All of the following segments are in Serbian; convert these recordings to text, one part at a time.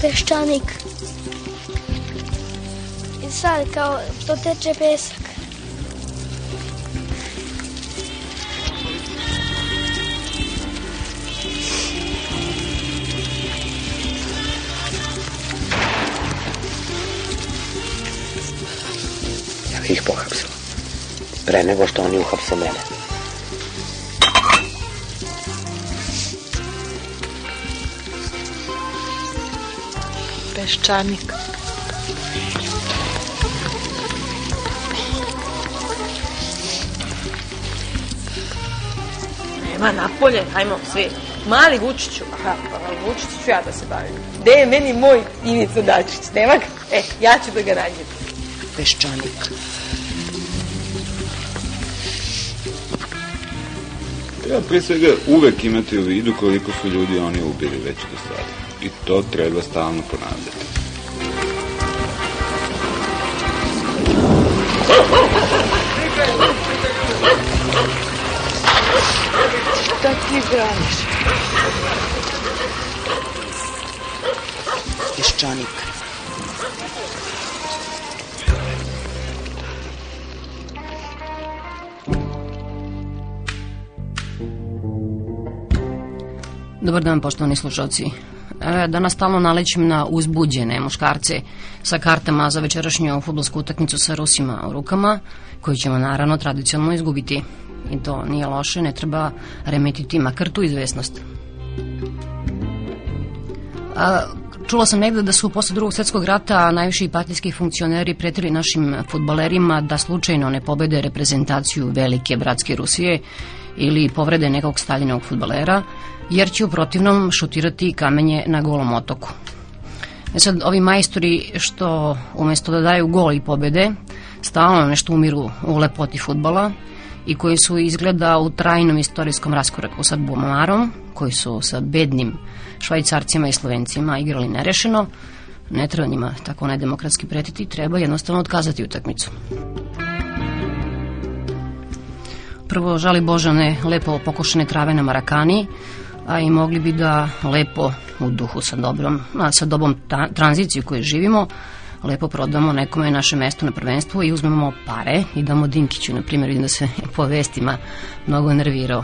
Peščanik. I sad kao što teče pesak. Ja bih ih pohapsila. Pre nego što oni uhapse mene. Peščanik. Nema napolje, hajmo svi. Mali Vučiću, aha, Vučiću ću ja da se bavim. Gde je meni moj Ivica Dačić? Nema ga? Ja ću da ga nađem. Peščanik. Treba pre svega uvek imati u vidu koliko su ljudi oni ubili već do sada. I to treba stalno ponavljati. Šta ti braniš? Peščanik. Dobar dan, poštovani slušalci. Danas stalno nalećem na uzbuđene muškarce sa kartama za večerašnju fudbalsku utakmicu sa Rusima u rukama, koju ćemo naravno tradicionalno izgubiti. I to nije loše, ne treba remetiti makar tu izvesnost. Čula sam negde da su posle Drugog svjetskog rata najviši partijski funkcioneri pretili našim fudbalerima da slučajno ne pobede reprezentaciju velike bratske Rusije ili povrede nekog Staljinovog fudbalera, jer će u protivnom šutirati kamenje na Golom otoku. Sad, ovi majstori što umesto da daju gol i pobede, stalno nešto umiru u lepoti fudbala i koji su izgleda u trajnom istorijskom raskoraku sa Bumarom, koji su sa bednim Švajcarcima i Slovencima igrali nerešeno, ne treba njima tako nedemokratski pretiti, treba jednostavno otkazati utakmicu. Prvo, žali Bože, one lepo pokošene trave na Marakani, a i mogli bi da lepo u duhu sa dobom tranziciju koju živimo, lepo prodamo nekome naše mesto na prvenstvu i uzmemo pare i damo Dinkiću, na primjer, vidim da se po vestima mnogo nervirao.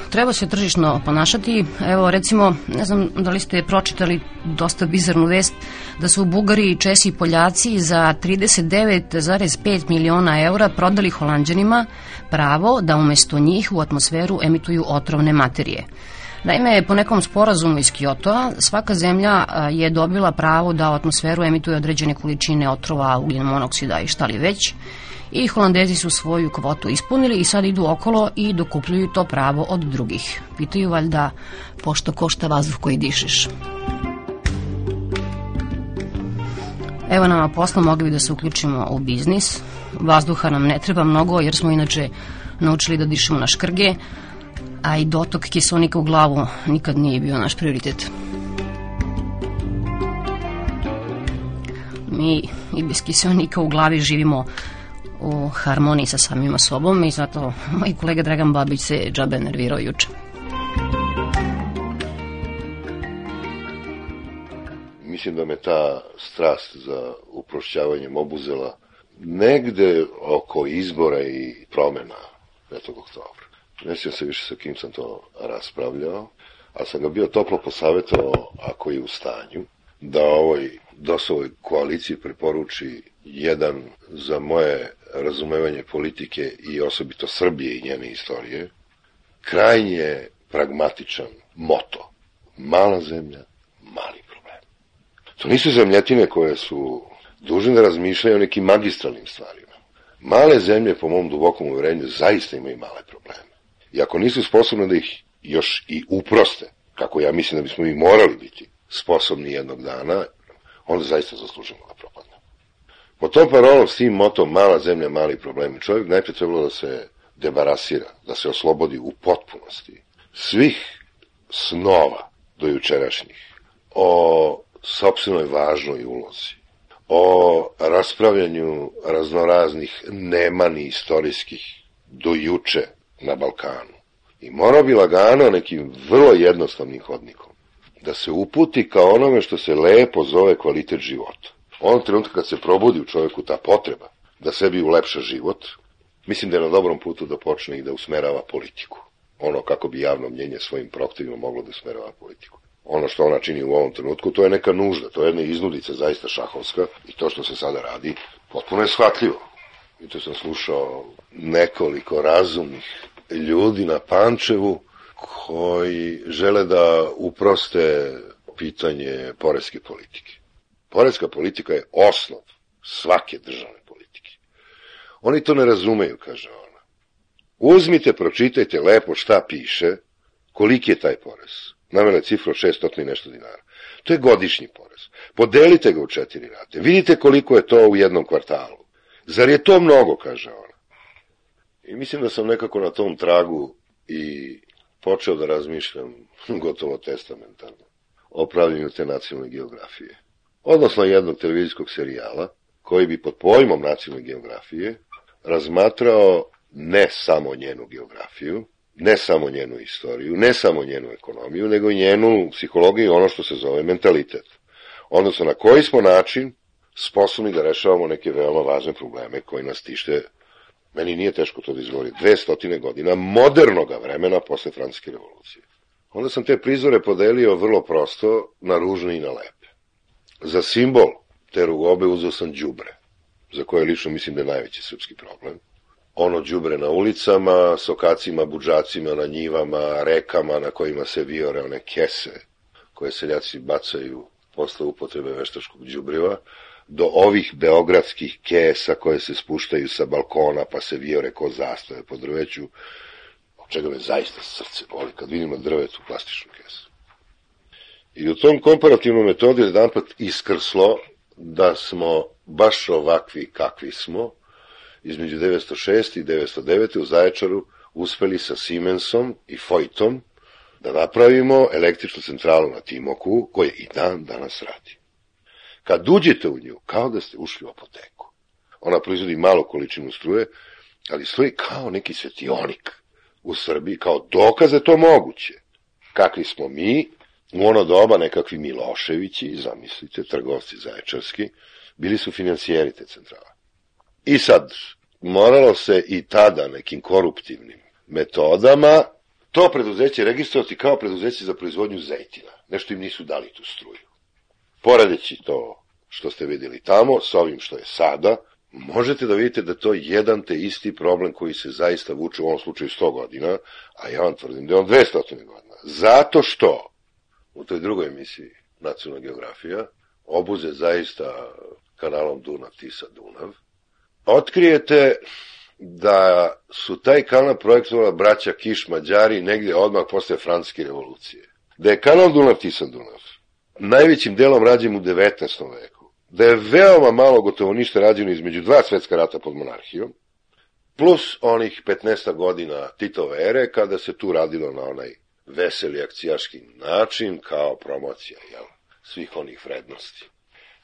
Treba se tržišno ponašati. Evo, recimo, ne znam da li ste pročitali dosta bizarnu vest da su Bugari, Česi i Poljaci za 39,5 miliona eura prodali Holanđanima pravo da umesto njih u atmosferu emituju otrovne materije. Naime, po nekom sporazumu iz Kyotoa, svaka zemlja je dobila pravo da u atmosferu emituje određene količine otrova, ugljen monoksida i šta li već, i Holandezi su svoju kvotu ispunili i sad idu okolo i dokupljuju to pravo od drugih. Pitaju valjda pošto košta vazduh koji dišeš. Evo nama posla, mogli bi da se uključimo u biznis. Vazduha nam ne treba mnogo jer smo inače naučili da dišemo na škrge, a i dotok kiseonika u glavu nikad nije bio naš prioritet. Mi i bez kiseonika u glavi živimo u harmoniji sa samima sobom i zato moj kolega Dragan Babić se džabe nervirao juče. Mislim da me ta strast za uprošćavanjem obuzela negde oko izbora i promena 5. oktobra. Ne sjećam se više sa kim sam to raspravljao, ali sam ga bio toplo posavjetovao, ako je u stanju, da ovoj DOS-ovoj koaliciji preporuči jedan, za moje razumevanje politike i osobito Srbije i njene istorije, krajnje pragmatičan moto. Mala zemlja, mali problem. To nisu zemljetine koje su dužne da razmišljaju o nekim magistralnim stvarima. Male zemlje, po mom dubokom uverenju, zaista imaju male probleme. I ako nisu sposobne da ih još i uproste, kako ja mislim da bismo i morali biti sposobni jednog dana, onda zaista zaslužimo da propadne. Po tom parolom, s tim motom, mala zemlja, mali problemi, čovjek najprije trebalo da se debarasira, da se oslobodi u potpunosti svih snova do jučerašnjih o sopstvenoj važnoj ulozi, o raspravljanju raznoraznih nemani istorijskih do juče na Balkanu I morao bi lagano nekim vrlo jednostavnim hodnikom da se uputi ka onome što se lepo zove kvalitet života. Onog trenutka kad se probudi u čovjeku ta potreba da sebi ulepša život, mislim da je na dobrom putu da počne i da usmerava politiku. Ono kako bi javno mnjenje svojim protivima moglo da usmerava politiku. Ono što ona čini u ovom trenutku, to je neka nužda, to je jedna iznudica zaista šahovska i to što se sada radi potpuno je shvatljivo. I to sam slušao nekoliko razumnih ljudi na Pančevu koji žele da uproste pitanje poreske politike. Poreska politika je osnov svake državne politike. Oni to ne razumeju, kaže ona. Uzmite, pročitajte lepo šta piše, koliki je taj porez. Navela je cifru 600 i nešto dinara. To je godišnji porez. Podelite ga u 4 rate. Vidite koliko je to u jednom kvartalu. Zar je to mnogo, kaže ona. I mislim da sam nekako na tom tragu i počeo da razmišljam gotovo testamentarno o pravljenju te nacionalne geografije. Odnosno jednog televizijskog serijala koji bi pod pojmom nacionalne geografije razmatrao ne samo njenu geografiju, ne samo njenu istoriju, ne samo njenu ekonomiju, nego i njenu psihologiju i ono što se zove mentalitet. Odnosno na koji smo način sposobni da rešavamo neke veoma važne probleme koji nas tište, meni nije teško to da izgovorim, 200 godina modernoga vremena posle Francuske revolucije. Onda sam te prizore podelio vrlo prosto na ružne i na lepe. Za simbol te rugobe uzeo sam đubre, za koje lično mislim da je najveći srpski problem. Ono đubre na ulicama, sokacima, budžacima, na njivama, rekama na kojima se vijore one kese koje seljaci bacaju posle upotrebe veštačkog đubriva, do ovih beogradskih kesa koje se spuštaju sa balkona pa se vijore ko zastave po drveću, od čega me zaista srce boli kad vidim na drvetu plastičnu kesu. I u tom komparativnom metodu je jedanput iskrslo da smo baš ovakvi kakvi smo, između 906. i 909. u Zaječaru uspeli sa Siemensom i Foytom da napravimo električnu centralu na Timoku, koja i dan danas radi. Kad uđete u nju, kao da ste ušli u apoteku. Ona proizvodi malu količinu struje, ali stoji kao neki svetionik u Srbiji, kao dokaz da je to moguće. Kakvi smo mi, u ono doba nekakvi Miloševići, zamislite, trgovci zaječarski, bili su financijeri te centrale. I sad, moralo se i tada nekim koruptivnim metodama to preduzeće registrovati kao preduzeće za proizvodnju zejtina. Nešto im nisu dali tu struju. Poredeći to što ste vidjeli tamo, s ovim što je sada, možete da vidite da to je jedan te isti problem koji se zaista vuče u ovom slučaju 100 godina, a ja vam tvrdim da je on 200 godina. Zato što u toj drugoj emisiji Nacionalna geografija obuze zaista kanalom Dunav-Tisa-Dunav, otkrijete da su taj kanal projektovala braća Kiš Mađari negdje odmah posle Francuske revolucije. Da je kanal Dunav-Tisa-Dunav najvećim delom rađen u 19. veku, da je veoma malo, gotovo ništa rađeno između 2 svetska rata pod monarhijom, plus onih 15 godina Titove ere, kada se tu radilo na onaj veseli akcijaški način, kao promocija svih onih vrednosti.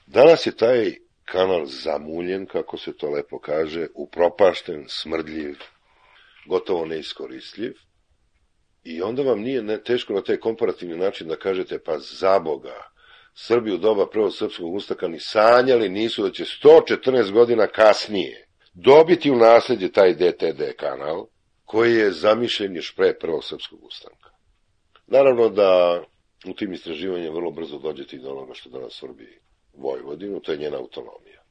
Danas je taj kanal zamuljen, kako se to lepo kaže, upropašten, smrdljiv, gotovo neiskoristljiv, i onda vam nije teško na taj komparativni način da kažete, pa za Boga, Srbi u doba prvog srpskog ustanka ni sanjali nisu da će 114 godina kasnije dobiti u nasljeđe taj DTD kanal, koji je zamišljen još pre prvog srpskog ustanka. Naravno da u tim istraživanjima vrlo brzo dođete i do onoga što danas Srbi Vojvodinu, to je njena autonomija.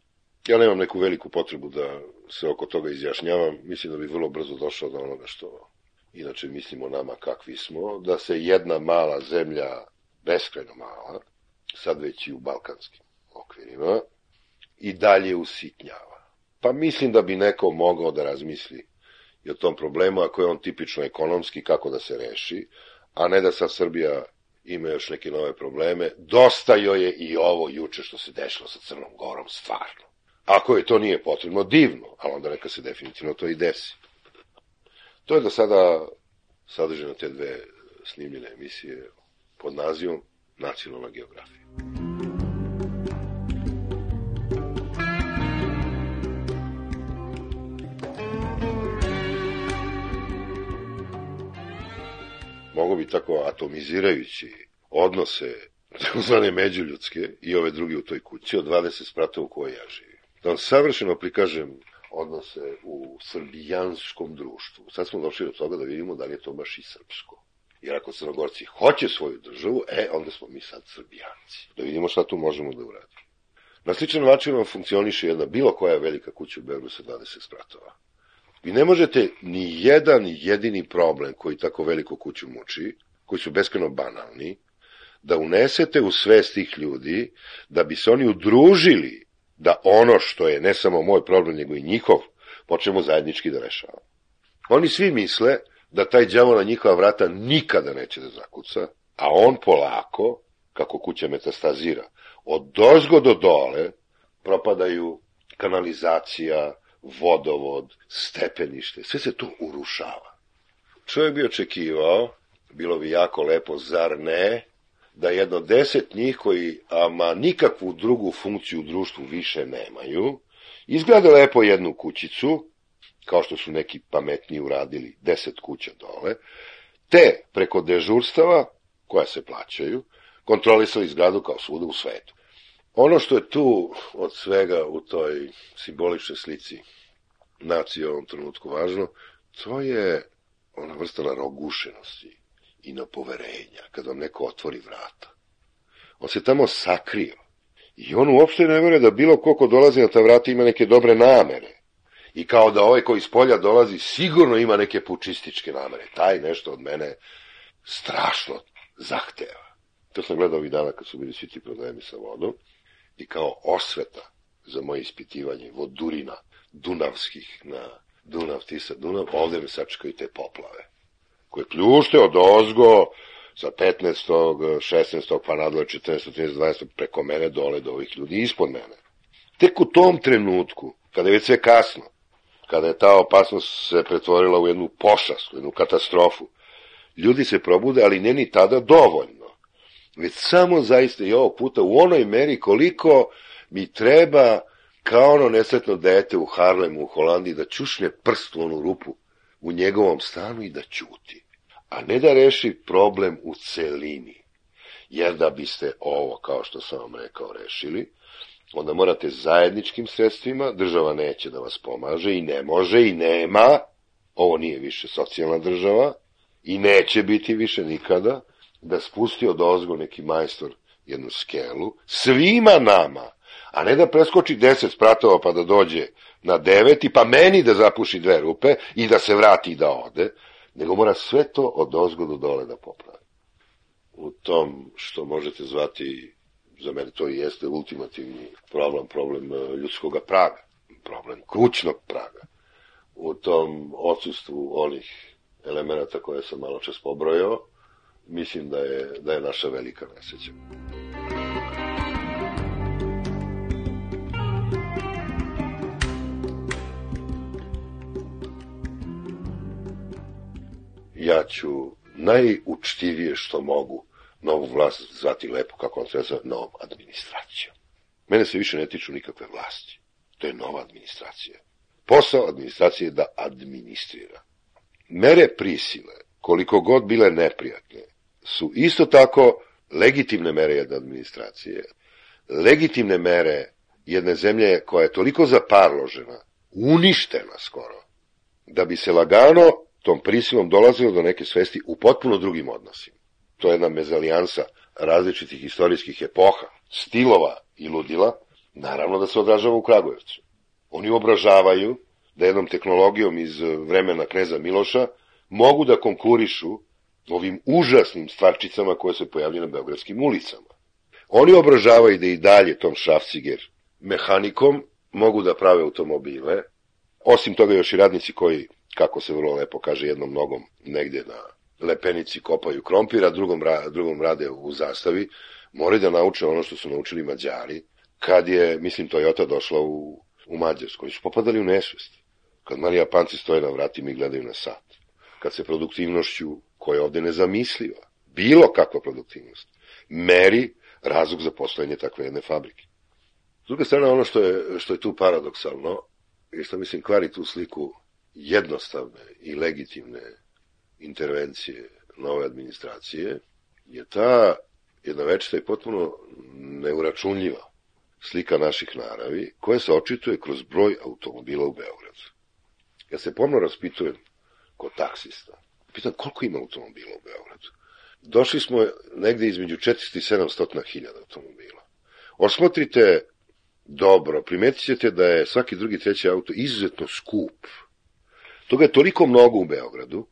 Ja nemam neku veliku potrebu da se oko toga izjašnjavam, mislim da bi vrlo brzo došao do onoga što inače mislimo nama kakvi smo, da se jedna mala zemlja, beskrajno mala, sad već i u balkanskim okvirima, i dalje usitnjava. Pa mislim da bi neko mogao da razmisli i o tom problemu, ako je on tipično ekonomski, kako da se reši, a ne da sad Srbija ima još neke nove probleme. Dosta joj je i ovo juče što se dešlo sa Crnom Gorom, stvarno. Ako je to nije potrebno, divno, ali onda neka se definitivno to i desi. To je do sada sadržano te 2 snimljene emisije pod nazivom Nacionalna geografija. mogu bi tako atomizirajući odnose takozvane međuljudske i ove druge u toj kući od 20 spratova u kojoj ja živim. Da vam savršeno prikažem odnose u srbijanskom društvu. Sad smo došli do toga da vidimo da li je to baš i srpsko. Jer ako Crnogorci hoće svoju državu, onda smo mi sad Srbijanci. Da vidimo šta tu možemo da uradimo. Na sličan način vam funkcioniše jedna bilo koja velika kuća u Beogradu sa 20 spratova. Vi ne možete ni jedan jedini problem koji tako veliku kuću muči, koji su beskrajno banalni, da unesete u svest tih ljudi, da bi se oni udružili da ono što je ne samo moj problem, nego i njihov, počnemo zajednički da rešavamo. Oni svi misle da taj đavo na njihova vrata nikada neće da zakuca, a on polako, kako kuća metastazira, od dozgo do dole propadaju kanalizacija, vodovod, stepenište, sve se to urušava. Čovjek bi očekivao, bilo bi jako lepo, zar ne, da jedno 10 njih koji ama nikakvu drugu funkciju u društvu više nemaju, izgleda lepo jednu kućicu, kao što su neki pametniji uradili 10 kuća dole, te preko dežurstava, koja se plaćaju, kontrolisali zgradu kao svuda u svetu. Ono što je tu od svega u toj simboličnoj slici nacije u ovom trenutku važno, to je ona vrsta narogušenosti i na poverenja, kad vam neko otvori vrata. On se tamo sakrio i on uopšte ne vjeruje da bilo ko dolazi na ta vrata ima neke dobre namere. I kao da ovaj koji iz polja dolazi sigurno ima neke pučističke namere. Taj nešto od mene strašno zahteva. To sam gledao ovih dana kad su bili svi ti problemi sa vodom i kao osveta za moje ispitivanje vodurina dunavskih na Dunav, Tisa, Dunav, ovdje me sačekaju te poplave koje pljušte od ozgo sa 15. 16. pa nadalje 14. 13. 12. preko mene dole do ovih ljudi ispod mene. Tek u tom trenutku, kada je već sve kasno, kada je ta opasnost se pretvorila u jednu pošast, u jednu katastrofu, ljudi se probude, ali ne ni tada dovoljno. Već samo zaista i ovog puta u onoj meri koliko mi treba kao ono nesretno dete u Harlemu u Holandiji da čušne prst u onu rupu u njegovom stanu i da ćuti, a ne da reši problem u celini. Jer da biste ovo, kao što sam vam rekao, rešili, onda morate zajedničkim sredstvima, država neće da vas pomaže i ne može i nema, ovo nije više socijalna država i neće biti više nikada, da spusti od ozgo neki majstor jednu skelu, svima nama, a ne da preskoči 10 spratova pa da dođe na 9 pa meni da zapuši 2 rupe i da se vrati i da ode, nego mora sve to od ozgo do dole da popravi. U tom što možete zvati, za mene to i jeste ultimativni problem ljudskog praga, problem kućnog praga. U tom odsustvu onih elemenata koje sam malo čas pobrojao, mislim da je naša velika nesreća. Ja ću najučtivije što mogu novu vlast zvati lepo, kako on treba zvati, novom administracijom. Mene se više ne tiču nikakve vlasti. To je nova administracija. Posao administracije je da administrira. Mere prisile, koliko god bile neprijatne, su isto tako legitimne mere jedne administracije. Legitimne mere jedne zemlje koja je toliko zaparložena, uništena skoro, da bi se lagano tom prisilom dolazilo do neke svesti u potpuno drugim odnosima. To je jedna mezalijansa različitih istorijskih epoha, stilova i ludila, naravno da se odražava u Kragujevcu. Oni obražavaju da jednom tehnologijom iz vremena kneza Miloša mogu da konkurišu ovim užasnim stvarčicama koje se pojavljaju na beogradskim ulicama. Oni obražavaju da i dalje tom šrafciger mehanikom mogu da prave automobile, osim toga još i radnici koji, kako se vrlo lepo kaže, jednom nogom negdje na lepenici kopaju krompir, a drugom rade u zastavi, moraju da nauče ono što su naučili Mađari, kad je, mislim, Toyota došla u Mađarsku. Oni su popadali u nesvest. Kad Marija Panci stoje na vratima i gledaju na sat. Kad se produktivnošću, koja je ovde nezamisliva, bilo kakva produktivnost, meri razlog za postojanje takve jedne fabrike. S druge strane, ono što je tu paradoksalno, i što mislim kvari tu sliku jednostavne i legitimne intervencije nove administracije je ta jedna večita i potpuno neuračunljiva slika naših naravi, koja se očituje kroz broj automobila u Beogradu. Ja se pomno raspitujem kod taksista. Pitam koliko ima automobila u Beogradu. Došli smo negde između 400 i 700.000 automobila. Osmotrite dobro, primetit ćete da je svaki drugi, treći auto izuzetno skup. Toga je toliko mnogo u Beogradu,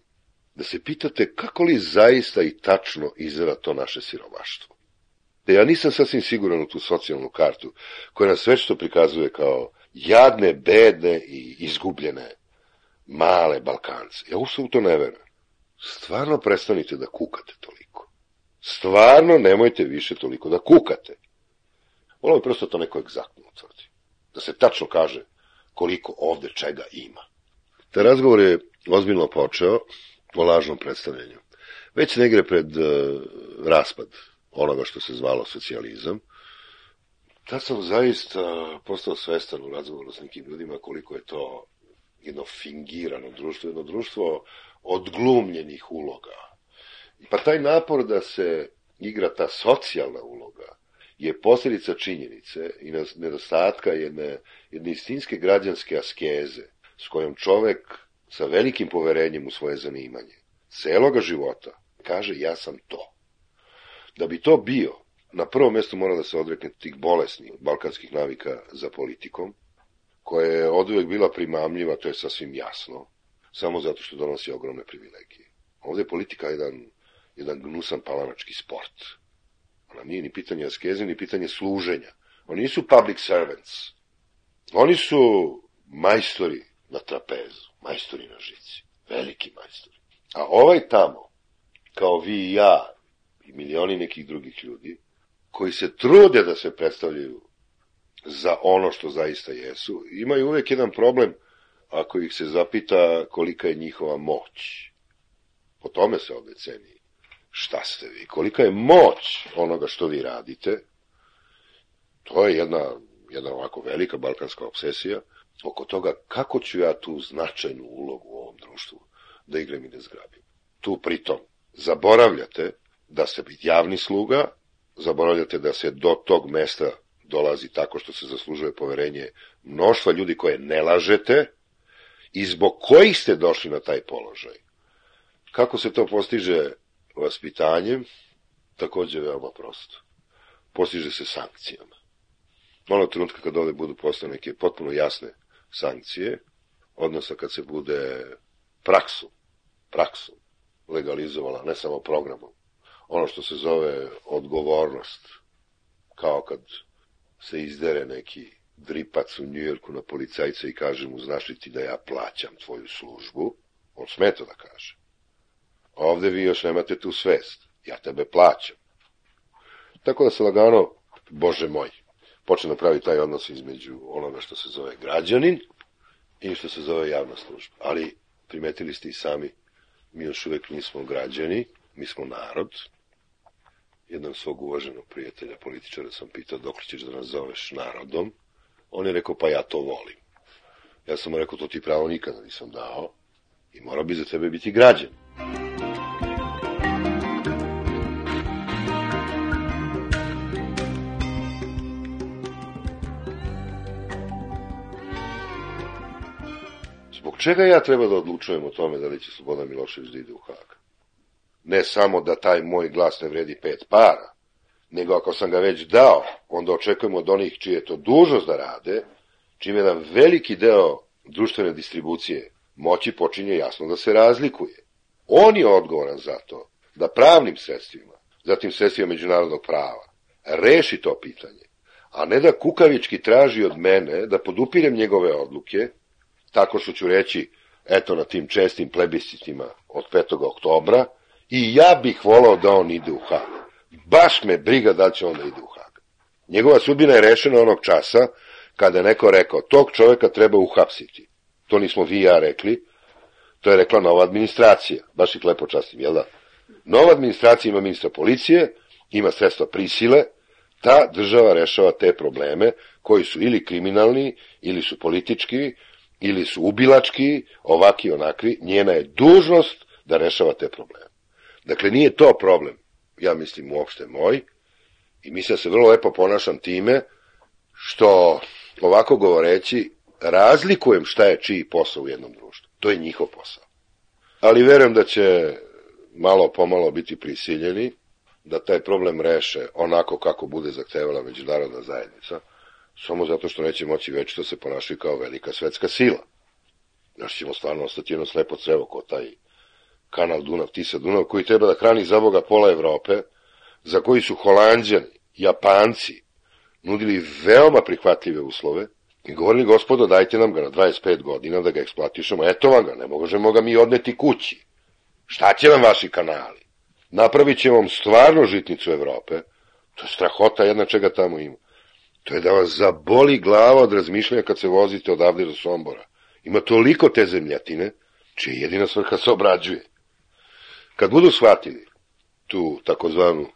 da se pitate kako li zaista i tačno izgleda to naše siromaštvo. Da ja nisam sasvim siguran u tu socijalnu kartu, koja nas večito prikazuje kao jadne, bedne i izgubljene male Balkance. Ja uopšte u to ne verujem. Stvarno prestanite da kukate toliko. Stvarno nemojte više toliko da kukate. Volio bi prosto to neko egzaktno utvrdi. Da se tačno kaže koliko ovde čega ima. Taj razgovor je ozbiljno počeo o lažnom predstavljanju. Već negre pred raspad onoga što se zvalo socijalizam, tad sam zaista postao svestan u razgovoru s nekim ljudima koliko je to jedno fingirano društvo, jedno društvo odglumljenih uloga. Pa taj napor da se igra ta socijalna uloga je posljedica činjenice i nedostatka jedne istinske građanske askeze s kojom čovek sa velikim poverenjem u svoje zanimanje celoga života kaže ja sam to. Da bi to bio, na prvom mjestu mora da se odrekne tih bolesnih balkanskih navika za politikom, koja je oduvek bila primamljiva, to je sasvim jasno, samo zato što donosi ogromne privilegije. Ovdje je politika jedan gnusan palanački sport. Ona nije ni pitanje askeze, ni pitanje služenja. Oni nisu public servants. Oni su majstori na trapezu, majstori na žici, veliki majstori. A ovaj tamo, kao vi i ja, i milioni nekih drugih ljudi, koji se trude da se predstavljaju za ono što zaista jesu, imaju uvijek jedan problem ako ih se zapita kolika je njihova moć. Po tome se ovdje ceni šta ste vi, kolika je moć onoga što vi radite. To je jedna ovako velika balkanska obsesija oko toga kako ću ja tu značajnu ulogu u ovom društvu da igram i da zgrabim. Tu pritom zaboravljate da ste biti javni sluga, zaboravljate da se do tog mesta dolazi tako što se zaslužuje poverenje mnoštva ljudi koje ne lažete i zbog kojih ste došli na taj položaj. Kako se to postiže vaspitanjem? Također je veoma prosto. Postiže se sankcijama. Onog trenutka kad ovdje budu postane neke potpuno jasne sankcije, odnosno kad se bude praksom legalizovala, ne samo programom, ono što se zove odgovornost, kao kad se izdere neki dripac u Njujorku na policajca i kaže mu, znaš li ti da ja plaćam tvoju službu, on sme to da kaže. A ovdje vi još nemate tu svest, ja tebe plaćam. Tako da se lagano, Bože moj, počne da pravi taj odnos između onoga što se zove građanin i što se zove javna služba. Ali primetili ste i sami, mi još uvijek nismo građani, mi smo narod. Jednog svog uvaženog prijatelja, političara, sam pitao dok ćeš da nas zoveš narodom. On je rekao, pa ja to volim. Ja sam mu rekao, to ti pravo nikada nisam dao i mora bi za tebe biti građan. Zbog čega ja treba da odlučujem o tome da li će Slobodan Milošević da ide u Hag? Ne samo da taj moj glas ne vredi 5 para, nego ako sam ga već dao, onda očekujemo od onih čije je to dužnost da rade, čime jedan veliki deo društvene distribucije moći počinje jasno da se razlikuje. On je odgovoran za to da pravnim sredstvima, zatim sredstvima međunarodnog prava, reši to pitanje, a ne da kukavički traži od mene da podupirem njegove odluke, tako što ću reći, eto na tim čestim plebiscitima od 5. oktobra, i ja bih volao da on ide u Hag. Baš me briga da će on da ide u Hag. Njegova sudbina je rešena onog časa kada je neko rekao, tog čovjeka treba uhapsiti. To nismo vi i ja rekli, to je rekla nova administracija. Baš ih lepo častim, jel da? Nova administracija ima ministra policije, ima sredstva prisile, ta država rešava te probleme koji su ili kriminalni, ili su politički, ili su ubilački, ovaki onakvi, njena je dužnost da rešava te probleme. Dakle, nije to problem, ja mislim uopšte moj, i mislim da se vrlo lepo ponašam time što, ovako govoreći, razlikujem šta je čiji posao u jednom društvu. To je njihov posao. Ali verujem da će malo pomalo biti prisiljeni da taj problem reše onako kako bude zahtevala međunarodna zajednica, samo zato što neće moći večito se ponašati kao velika svetska sila. Znaš, ćemo stvarno ostati jedno slepo crevo kao taj kanal Dunav-Tisa-Dunav, koji treba da hrani za Boga pola Evrope, za koji su Holanđani, Japanci nudili veoma prihvatljive uslove i govorili, gospodo, dajte nam ga na 25 godina da ga eksploatišemo, eto vam ga, ne možemo ga mi odneti kući. Šta će vam vaši kanali? Napravit će vam stvarno žitnicu Evrope, to je strahota jedna čega tamo ima. To je da vas zaboli glava od razmišljanja kad se vozite odavde do Sombora. Ima toliko te zemljatine, čija jedina svrha se obrađuje. Kad budu shvatili tu takozvanu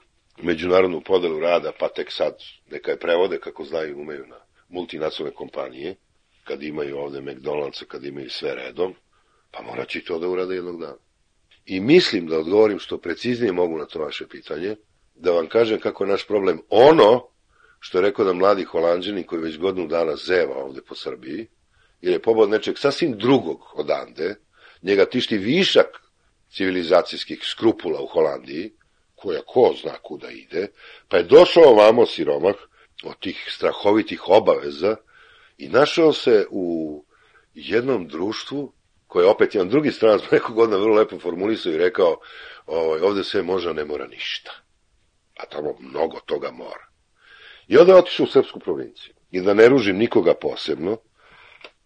međunarodnu podelu rada, pa tek sad neka je prevode kako znaju i umeju na multinacionalne kompanije, kad imaju ovde McDonald'sa, kad imaju sve redom, pa morat će to da urade jednog dana. I mislim da odgovorim što preciznije mogu na to vaše pitanje, da vam kažem kako je naš problem ono što je rekao da mladi Holanđani koji već godinu dana zeva ovde po Srbiji, jer je pobod nečeg sasvim drugog odande, njega tišti višak civilizacijskih skrupula u Holandiji, koja ko zna kuda ide, pa je došao ovamo siromah od tih strahovitih obaveza i našao se u jednom društvu koje je opet jedan drugi stranac nekog godina vrlo lepo formulisao i rekao ovde sve može, a ne mora ništa. A tamo mnogo toga mora. I onda je otišao u srpsku provinciju. I da ne ružim nikoga posebno,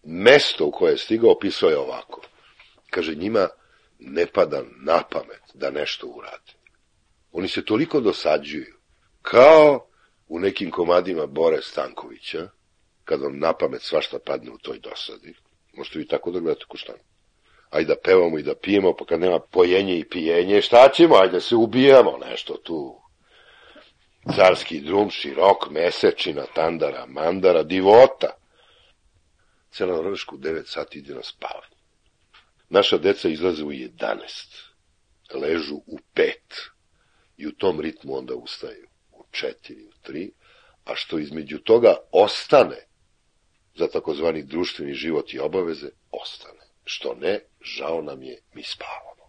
mesto u koje je stigao opisao je ovako. Kaže, njima ne pada na pamet da nešto urade. Oni se toliko dosađuju, kao u nekim komadima Bore Stankovića, kad vam na pamet svašta padne u toj dosadi. Možete vi tako da gledate ko šta. Ajde da pevamo i da pijemo, pa kad nema pojenje i pijenje, šta ćemo? Ajde da se ubijamo, nešto tu. Carski drum, širok, mesečina, tandara, mandara, divota. Cela Norveška u 9 sati ide na spavanje. Naša deca izlaze u 11, ležu u 5 i u tom ritmu onda ustaju u 4, u 3, a što između toga ostane za takozvani društveni život i obaveze, ostane. Što ne, žao nam je, mi spavamo.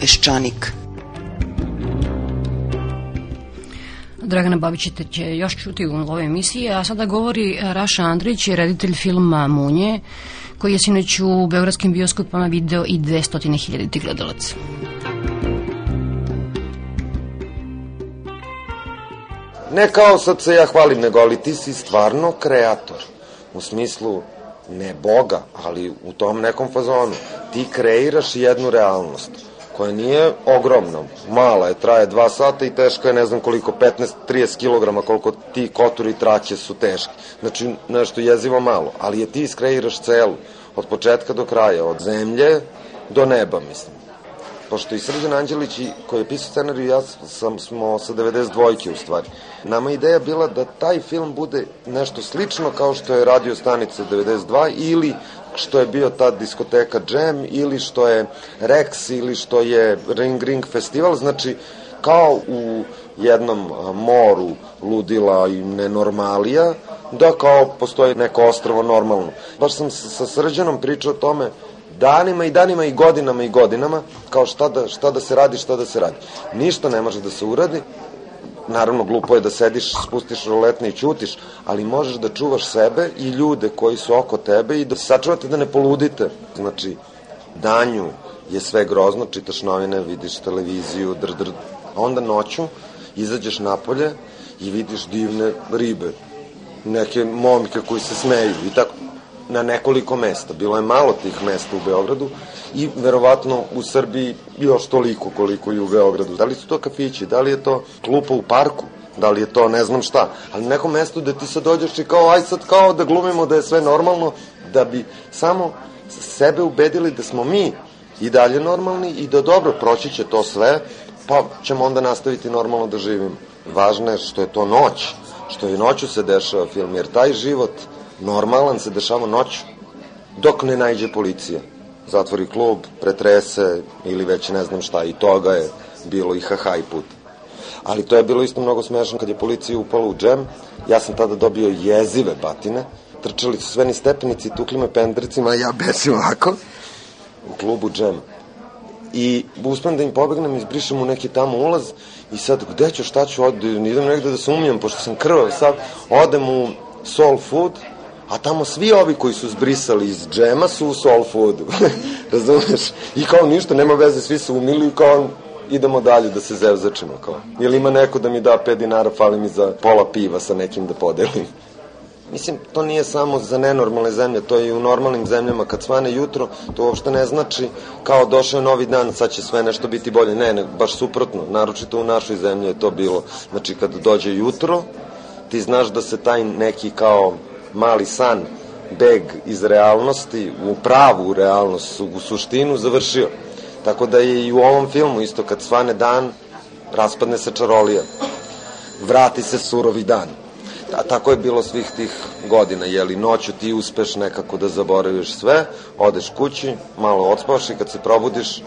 Peščanik. Dragana Babić će još čuti u ovoj emisiji, a sada govori Raša Andrić, reditelj filma Munje, koji je sinoć u beogradskim bioskopama video i 200.000 gledalaca. Ne kao sad se ja hvalim, nego ali ti si stvarno kreator. U smislu, ne Boga, ali u tom nekom fazonu. Ti kreiraš jednu realnost koja nije ogromna, mala je, traje 2 sata i teška je ne znam koliko, 15-30 kilograma, koliko ti koturi i traće su teški. Znači, nešto jezivo malo, ali je ti iskreiraš celu, od početka do kraja, od zemlje do neba, mislim. Pošto i Srđan Anđelić, koji je pisao scenariju, ja smo sa 92 u stvari. Nama je ideja bila da taj film bude nešto slično kao što je Radio stanica 92 ili što je bio ta diskoteka Jam ili što je Rex ili što je Ring Ring festival, znači kao u jednom moru ludila i nenormalija, da kao postoji neko ostrvo normalno. Baš sam sa Srđanom pričao o tome danima i danima i godinama, kao šta da se radi. Ništa ne može da se uradi, naravno glupo je da sediš, spustiš roletne i ćutiš, ali možeš da čuvaš sebe i ljude koji su oko tebe i da sačuvate da ne poludite. Znači, danju je sve grozno, čitaš novine, vidiš televiziju, a onda noću izađeš napolje i vidiš divne ribe, neke momke koji se smeju i tako. Na nekoliko mesta. Bilo je malo tih mesta u Beogradu i verovatno u Srbiji još toliko koliko i u Beogradu. Da li su to kafići, da li je to klupa u parku, da li je to ne znam šta, ali na nekom mestu da ti sad dođeš i kao aj sad kao da glumimo da je sve normalno, da bi samo sebe ubedili da smo mi i dalje normalni i da dobro proći će to sve, pa ćemo onda nastaviti normalno da živimo. Važno je što je to noć, što i noću se dešava film, jer taj život normalan se dešava noću. dok ne najđe policija. Zatvori klub, pretrese ili već ne znam šta, i toga je bilo i haha i put. Ali to je bilo isto mnogo smešno kad je policija upala u džem. Ja sam tada dobio jezive batine, trčali su sve ni stepenici, tukli me pendricima, a ja besim ovako u klubu džem. I uspem da im pobegnem, izbrišem u neki tamo ulaz i sad gde ću, šta ću, idem negde da se umijem, pošto sam krvav sad, odem u Soul Food, a tamo svi ovi koji su zbrisali iz džema su u Soul Foodu, razumeš? I kao ništa, nema veze, svi su umili i kao idemo dalje da se zevzačimo, kao. Jel ima neko da mi da 5 dinara, fali mi za pola piva sa nekim da podelim. Mislim, to nije samo za nenormalne zemlje, to je i u normalnim zemljama. Kad svane jutro, to uopšte ne znači kao došao je novi dan, sad će sve nešto biti bolje. Ne, baš suprotno, naročito u našoj zemlji je to bilo. Znači, kad dođe jutro, ti znaš da se taj neki kao mali san, beg iz realnosti, u pravu realnost, u suštinu, završio. Tako da je i u ovom filmu isto, kad svane dan, raspadne se čarolija. Vrati se surovi dan. A tako je bilo svih tih godina, jeli, noću ti uspeš nekako da zaboraviš sve, odeš kući, malo odspavaš i kad se probudiš,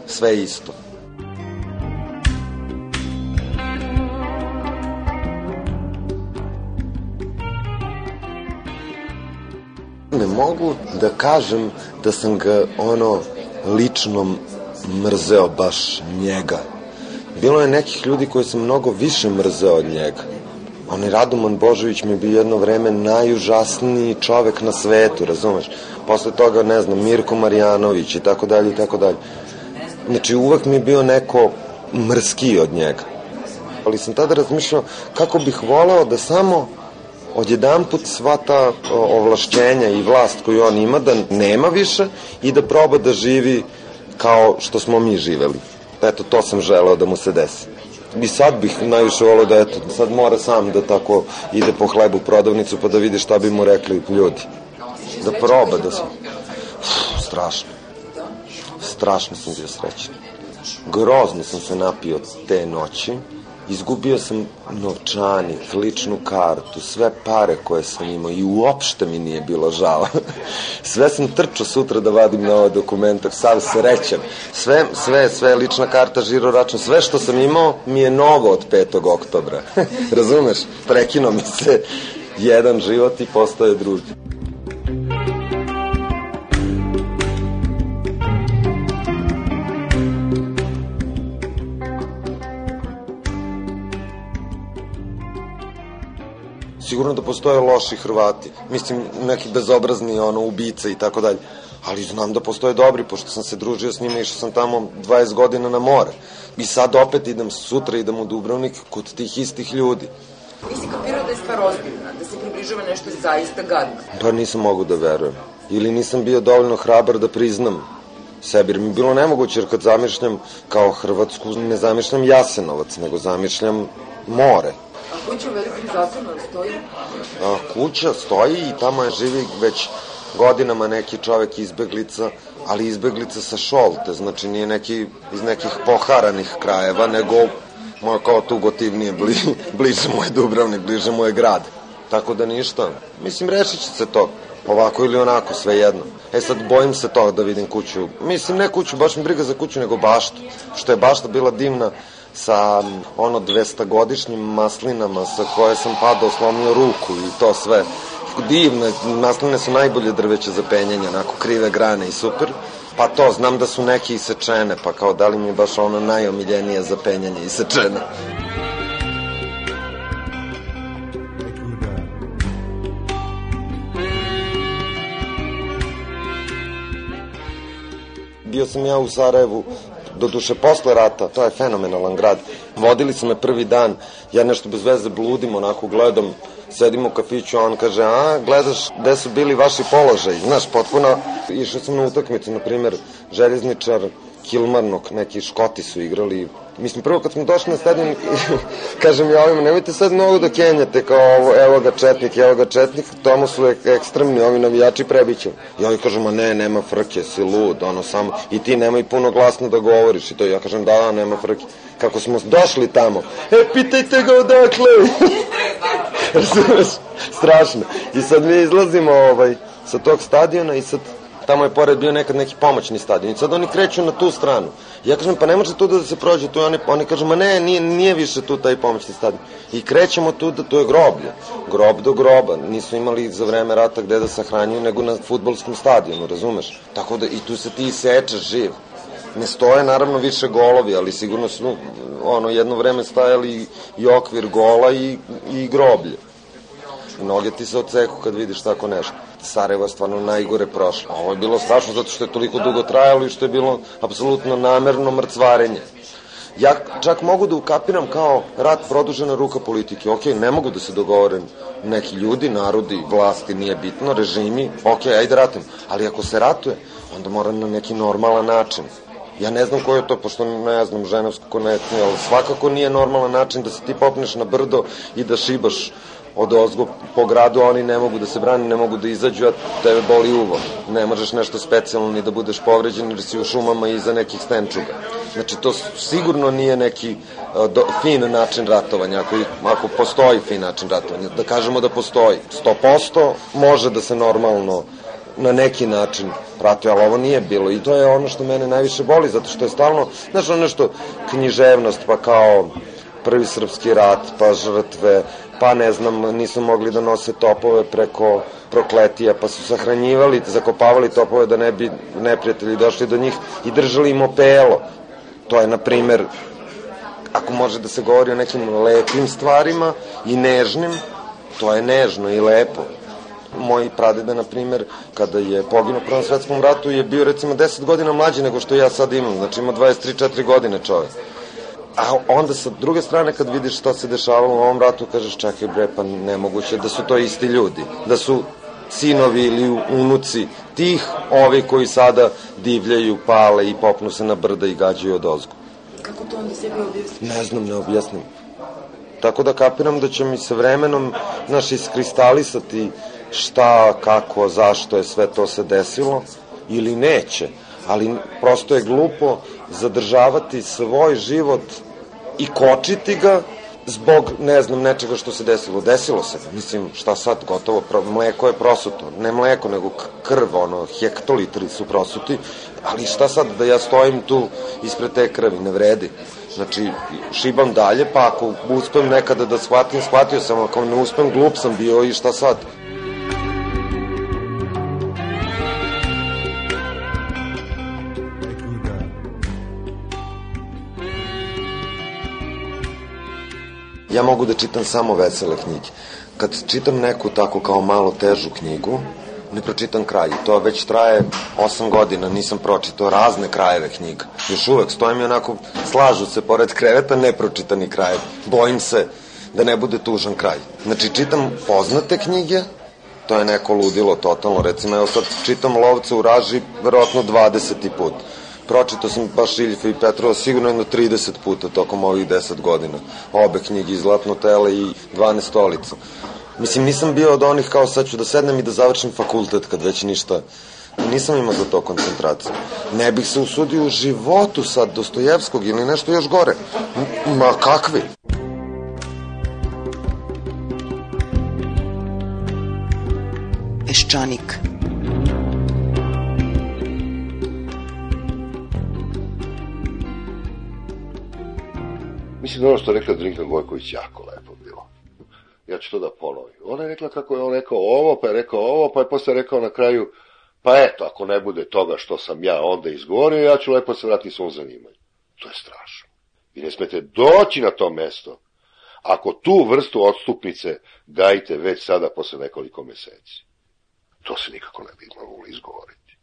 sve je isto. Ne mogu da kažem da sam ga, lično mrzeo baš njega. Bilo je nekih ljudi koji sam mnogo više mrzeo od njega. Onaj Radoman Božović mi je bio jedno vreme najužasniji čovek na svetu, razumeš? Posle toga, ne znam, Mirko Marjanović i tako dalje i tako dalje. Znači, uvek mi je bio neko mrskiji od njega. Ali sam tada razmišljao kako bih voleo da samo odjedanput sva ta ovlašćenja i vlast koju on ima da nema više i da proba da živi kao što smo mi živeli. Eto, to sam želeo da mu se desi. I sad bih najviše volao da, eto, sad mora sam da tako ide po hlebu u prodavnicu pa da vidi šta bi mu rekli ljudi. Da proba da se... Strašno. Strašno sam bio srećan. Grozno sam se napio te noći. Izgubio sam novčanik, ličnu kartu, sve pare koje sam imao i uopšte mi nije bilo žao. Sve sam trčao sutra da vadim na ovaj dokumentar, sav srećan. Sve, lična karta, žiro račun, sve što sam imao mi je novo od 5. oktobra. Razumeš? Prekinuo mi se jedan život i postaje drugi. Sigurno da postoje loši Hrvati, mislim neki bezobrazni ubice i tako dalje, ali znam da postoje dobri, pošto sam se družio s njima, išao sam tamo 20 godina na more i sad opet sutra idem u Dubrovnik kod tih istih ljudi. Nisi kapirao da je stvar ozbiljna, da se približava nešto zaista gadno? Pa nisam mogu da verujem, ili nisam bio dovoljno hrabar da priznam sebi, jer mi je bilo nemoguće, jer kad zamišljam kao Hrvatsku, ne zamišljam Jasenovac, nego zamišljam more. A kuća u Velikom Zatonu stoji? Kuća stoji i tamo je živi već godinama neki čovek izbeglica, ali izbeglica sa Šolte, znači nije neki iz nekih poharanih krajeva, nego kao tu gotivnije, bliže mu je Dubrovnik, bliže mu je grad. Tako da ništa, mislim rešit će se to, ovako ili onako, sve jedno. Sad bojim se toga da vidim kuću, mislim ne kuću, baš mi briga za kuću, nego baštu, što je bašta bila divna, sa 200-godišnjim maslinama sa koje sam padao, slomio ruku i to sve. Divne, masline su najbolje drveće za penjanje, onako krive grane i super. Pa to, znam da su neke isečene, pa kao da li mi je baš ono najomiljenije za penjanje isečene. Bio sam ja u Sarajevu, doduše posle rata, to je fenomenalan grad. Vodili su me prvi dan, ja nešto bez veze bludim, onako gledam, sedim u kafiću, a on kaže, gledaš gde su bili vaši položaji, znaš, potpuno. Išao sam na utakmicu, na primer, Željezničar, Kilmarnock, neki Škoti su igrali. Mislim, prvo kad smo došli na stadion, kažem ja ovima, nemojte sad mnogo da kenjate, kao evo ga Četnik, tamo su ekstremni, ovi navijači prebićem. I oni kažem, ne, nema frke, si lud, samo, i ti nemoj puno glasno da govoriš, i to ja kažem, da, nema frke. Kako smo došli tamo, pitajte ga odakle. Razumeš, strašno. I sad mi izlazimo sa tog stadiona i sad tamo je pored bio nekad neki pomoćni stadion i sad oni kreću na tu stranu. Ja kažem, pa ne može tu da se prođe, tu oni kažu, ma ne, nije više tu taj pomoćni stadion. I krećemo tu, da tu je groblje, grob do groba, nisu imali za vreme rata gde da sahranjuju nego na fudbalskom stadionu, razumeš? Tako da i tu se ti isečeš živ. Ne stoje naravno više golovi, ali sigurno su jedno vreme stajali i okvir gola i groblje. Noge ti se odseku kad vidiš tako nešto. Sarajevo je stvarno najgore prošlo. Ovo je bilo strašno zato što je toliko dugo trajalo i što je bilo apsolutno namerno mrcvarenje. Ja čak mogu da ukapiram kao rat produžena ruka politike. Ok, ne mogu da se dogovore neki ljudi, narodi, vlasti, nije bitno, režimi, ok, ajde ratim. Ali ako se ratuje, onda mora na neki normalan način. Ja ne znam koji je to, pošto ne znam ženevsku konekciju, ali svakako nije normalan način da se ti popneš na brdo i da šibaš od ozgo po gradu, a oni ne mogu da se brani, ne mogu da izađu, a tebe boli uvo. Ne možeš nešto specijalno ni da budeš povređen jer si u šumama iza nekih stenčuga. Znači, to sigurno nije neki fin način ratovanja, ako postoji fin način ratovanja. Da kažemo da postoji. 100% može da se normalno na neki način ratuje, ali ovo nije bilo. I to je ono što mene najviše boli, zato što je stalno, znaš, ono nešto književnost, pa kao Prvi srpski rat, pa žrtve, pa ne znam, nisu mogli da nose topove preko Prokletija, pa su sahranjivali, zakopavali topove da ne bi neprijatelji došli do njih i držali im opelo. To je, na primer, ako može da se govori o nekim lepim stvarima i nežnim, to je nežno i lepo. Moj pradeda, na primer, kada je poginuo u Prvom svetskom ratu, je bio recimo 10 godina mlađi nego što ja sad imam, znači ima 23-4 godine čovek. A onda sa druge strane kad vidiš šta se dešavalo u ovom ratu, kažeš čekaj bre, pa nemoguće da su to isti ljudi, da su sinovi ili unuci tih ovi koji sada divljaju, pale i popnu se na brda i gađaju od ozgo. Kako to onda sebi objasnim? Ne znam, ne objasnim. Tako da kapiram da će mi se vremenom iskristalisati šta, kako, zašto je sve to se desilo ili neće, ali prosto je glupo zadržavati svoj život i kočiti ga zbog, ne znam, nečega što se desilo. Desilo se, mislim, šta sad, gotovo, mleko je prosuto, ne mleko, nego krv, hektolitri su prosuti, ali šta sad da ja stojim tu ispred te krvi, ne vredi. Znači, šibam dalje, pa ako uspem nekada da shvatim, shvatio sam, ako ne uspem, glup sam bio i šta sad. Ja mogu da čitam samo vesele knjige. Kad čitam neku tako kao malo težu knjigu, ne pročitam kraj. To već traje 8 godina, nisam pročitao razne krajeve knjiga. Još uvek stojim i onako, slažu se pored kreveta nepročitani krajevi. Bojim se da ne bude tužan kraj. Znači, čitam poznate knjige, to je neko ludilo totalno. Recimo, evo sad čitam Lovca u raži, verovatno 20. put. Pročitao sam baš Iljifa i Petrova sigurno jedno 30 puta tokom ovih 10 godina. Obe knjige, i Zlatno tele i 12 stolica. Mislim, nisam bio od onih kao sad ću da sednem i da završim fakultet kad već ništa. Nisam imao za to koncentraciju. Ne bih se usudio u životu sad Dostojevskog ili nešto još gore. Ma kakvi? Peščanik. Mislim da ono što je rekla Drinka Gojković jako lepo bilo. Ja ću to da ponovim. Ona je rekla kako je on rekao ovo, pa je rekao ovo, pa je posle rekao na kraju, pa eto, ako ne bude toga što sam ja onda izgovorio, ja ću lepo se vratiti svom zanimanju. To je strašno. Vi ne smete doći na to mesto ako tu vrstu odstupnice gajite već sada posle nekoliko meseci. To se nikako ne bi moglo izgovoriti.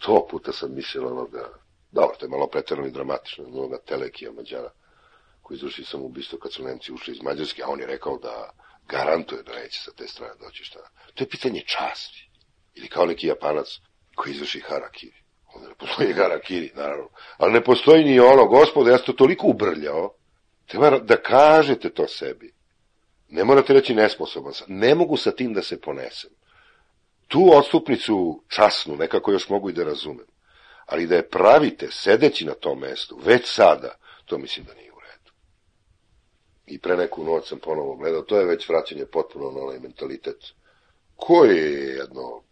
100 puta sam mislila onoga, dobro, to je malo preterano i dramatično, onoga Telekija Mađara, koji izvrši samoubistvo kad su Nemci ušli iz Mađarske, a on je rekao da garantuje da neće sa te strane doći šta. To je pitanje časti. Ili kao neki Japanac koji izvrši harakiri. Onda ne postoji harakiri, naravno. Ali ne postoji ni ono, gospode, ja sam to toliko ubrljao, treba da kažete to sebi. Ne morate reći nesposoban sam. Ne mogu sa tim da se ponesem. Tu odstupnicu časnu nekako još mogu i da razumem. Ali da je pravite sedeći na tom mestu, već sada, to mislim da nije u redu. I pre neku noć sam ponovo gledao, to je već vraćanje potpuno na onaj mentalitet, koji je jedno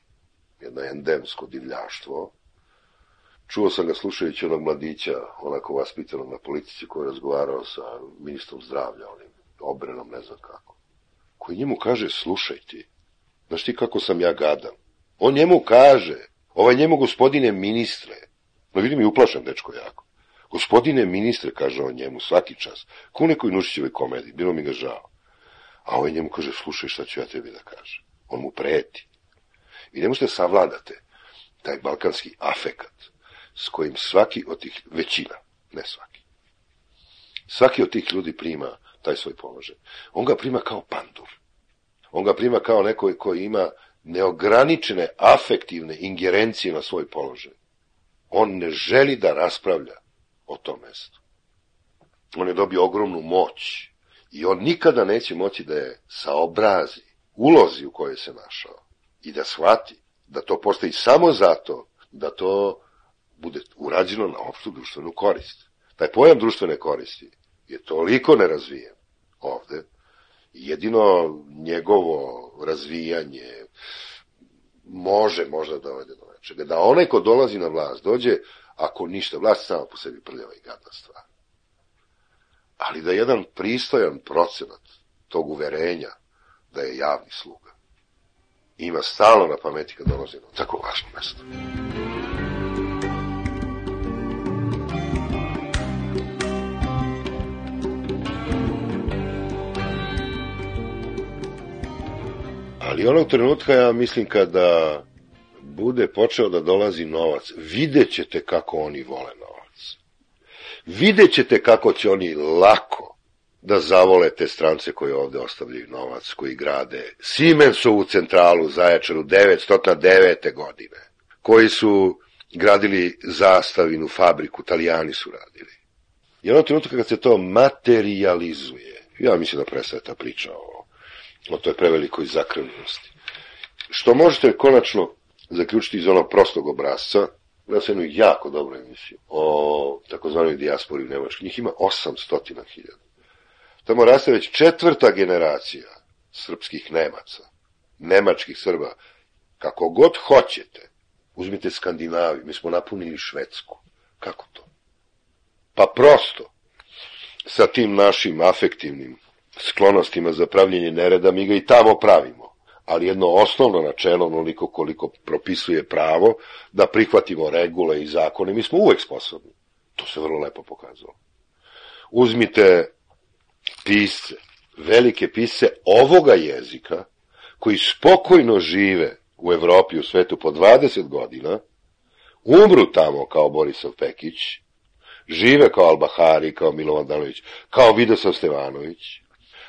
jedno endemsko divljaštvo. Čuo sam ga slušajući onog mladića, onako vaspitanog na politici, koji je razgovarao sa ministrom zdravlja, onim Obrenom, ne znam kako, koji njemu kaže, slušaj ti, znaš ti kako sam ja gadan? On njemu kaže, njemu gospodine ministre, no vidim i uplašan dečko jako, gospodine ministre, kaže on njemu svaki čas, ko u nekoj Nušićevoj komediji, bilo mi ga žao. A njemu kaže, slušaj šta ću ja tebi da kažem. On mu preti. Vi ne možete savladate taj balkanski afekat s kojim svaki od tih, većina, ne svaki od tih ljudi prima taj svoj položaj. On ga prima kao pandur. On ga prima kao neko koji ima neograničene afektivne ingerencije na svoj položaj. On ne želi da raspravlja o tom mestu. On je dobio ogromnu moć i on nikada neće moći da je saobrazi ulozi u kojoj se našao i da shvati da to postoji samo zato da to bude urađeno na opštu društvenu korist. Taj pojam društvene koristi je toliko nerazvijen ovde, jedino njegovo razvijanje može možda dovede do nečega. Da onaj ko dolazi na vlast dođe, ako ništa, vlast sama po sebi prljava i gadna stvar. Ali da jedan pristojan procenat tog uverenja da je javni sluga ima stalno na pameti kad dolazi na tako važno mesto. Ali onog trenutka, ja mislim, kada bude počeo da dolazi novac, vidjet ćete kako oni vole novac. Vidjet ćete kako će oni lako da zavole te strance koji ovde ostavljaju novac, koji grade Siemensovu centralu u Zaječaru 909. godine, koji su gradili Zastavinu fabriku, Italijani su radili. I onog trenutka kad se to materializuje, ja mislim da prestaje ta priča o toj prevelikoj zakrvljenosti. Što možete konačno zaključiti iz onog prostog obrazca, da se jednu jako dobru emisiju o takozvanoj dijaspori u Nemačkoj. Njih ima 800.000. Tamo raste već 4. generacija srpskih Nemaca, nemačkih Srba. Kako god hoćete, uzmite Skandinaviju, mi smo napunili Švedsku. Kako to? Pa prosto, sa tim našim afektivnim sklonostima za pravljenje nereda, mi ga i tamo pravimo. Ali jedno osnovno načelo, onoliko koliko propisuje pravo, da prihvatimo regule i zakone, mi smo uvek sposobni. To se vrlo lepo pokazalo. Uzmite pisce, velike pisce ovoga jezika, koji spokojno žive u Evropi i u svetu po 20 godina, umru tamo kao Borisav Pekić, žive kao Albahari, kao Milovan Danović, kao Vidosav Stevanović,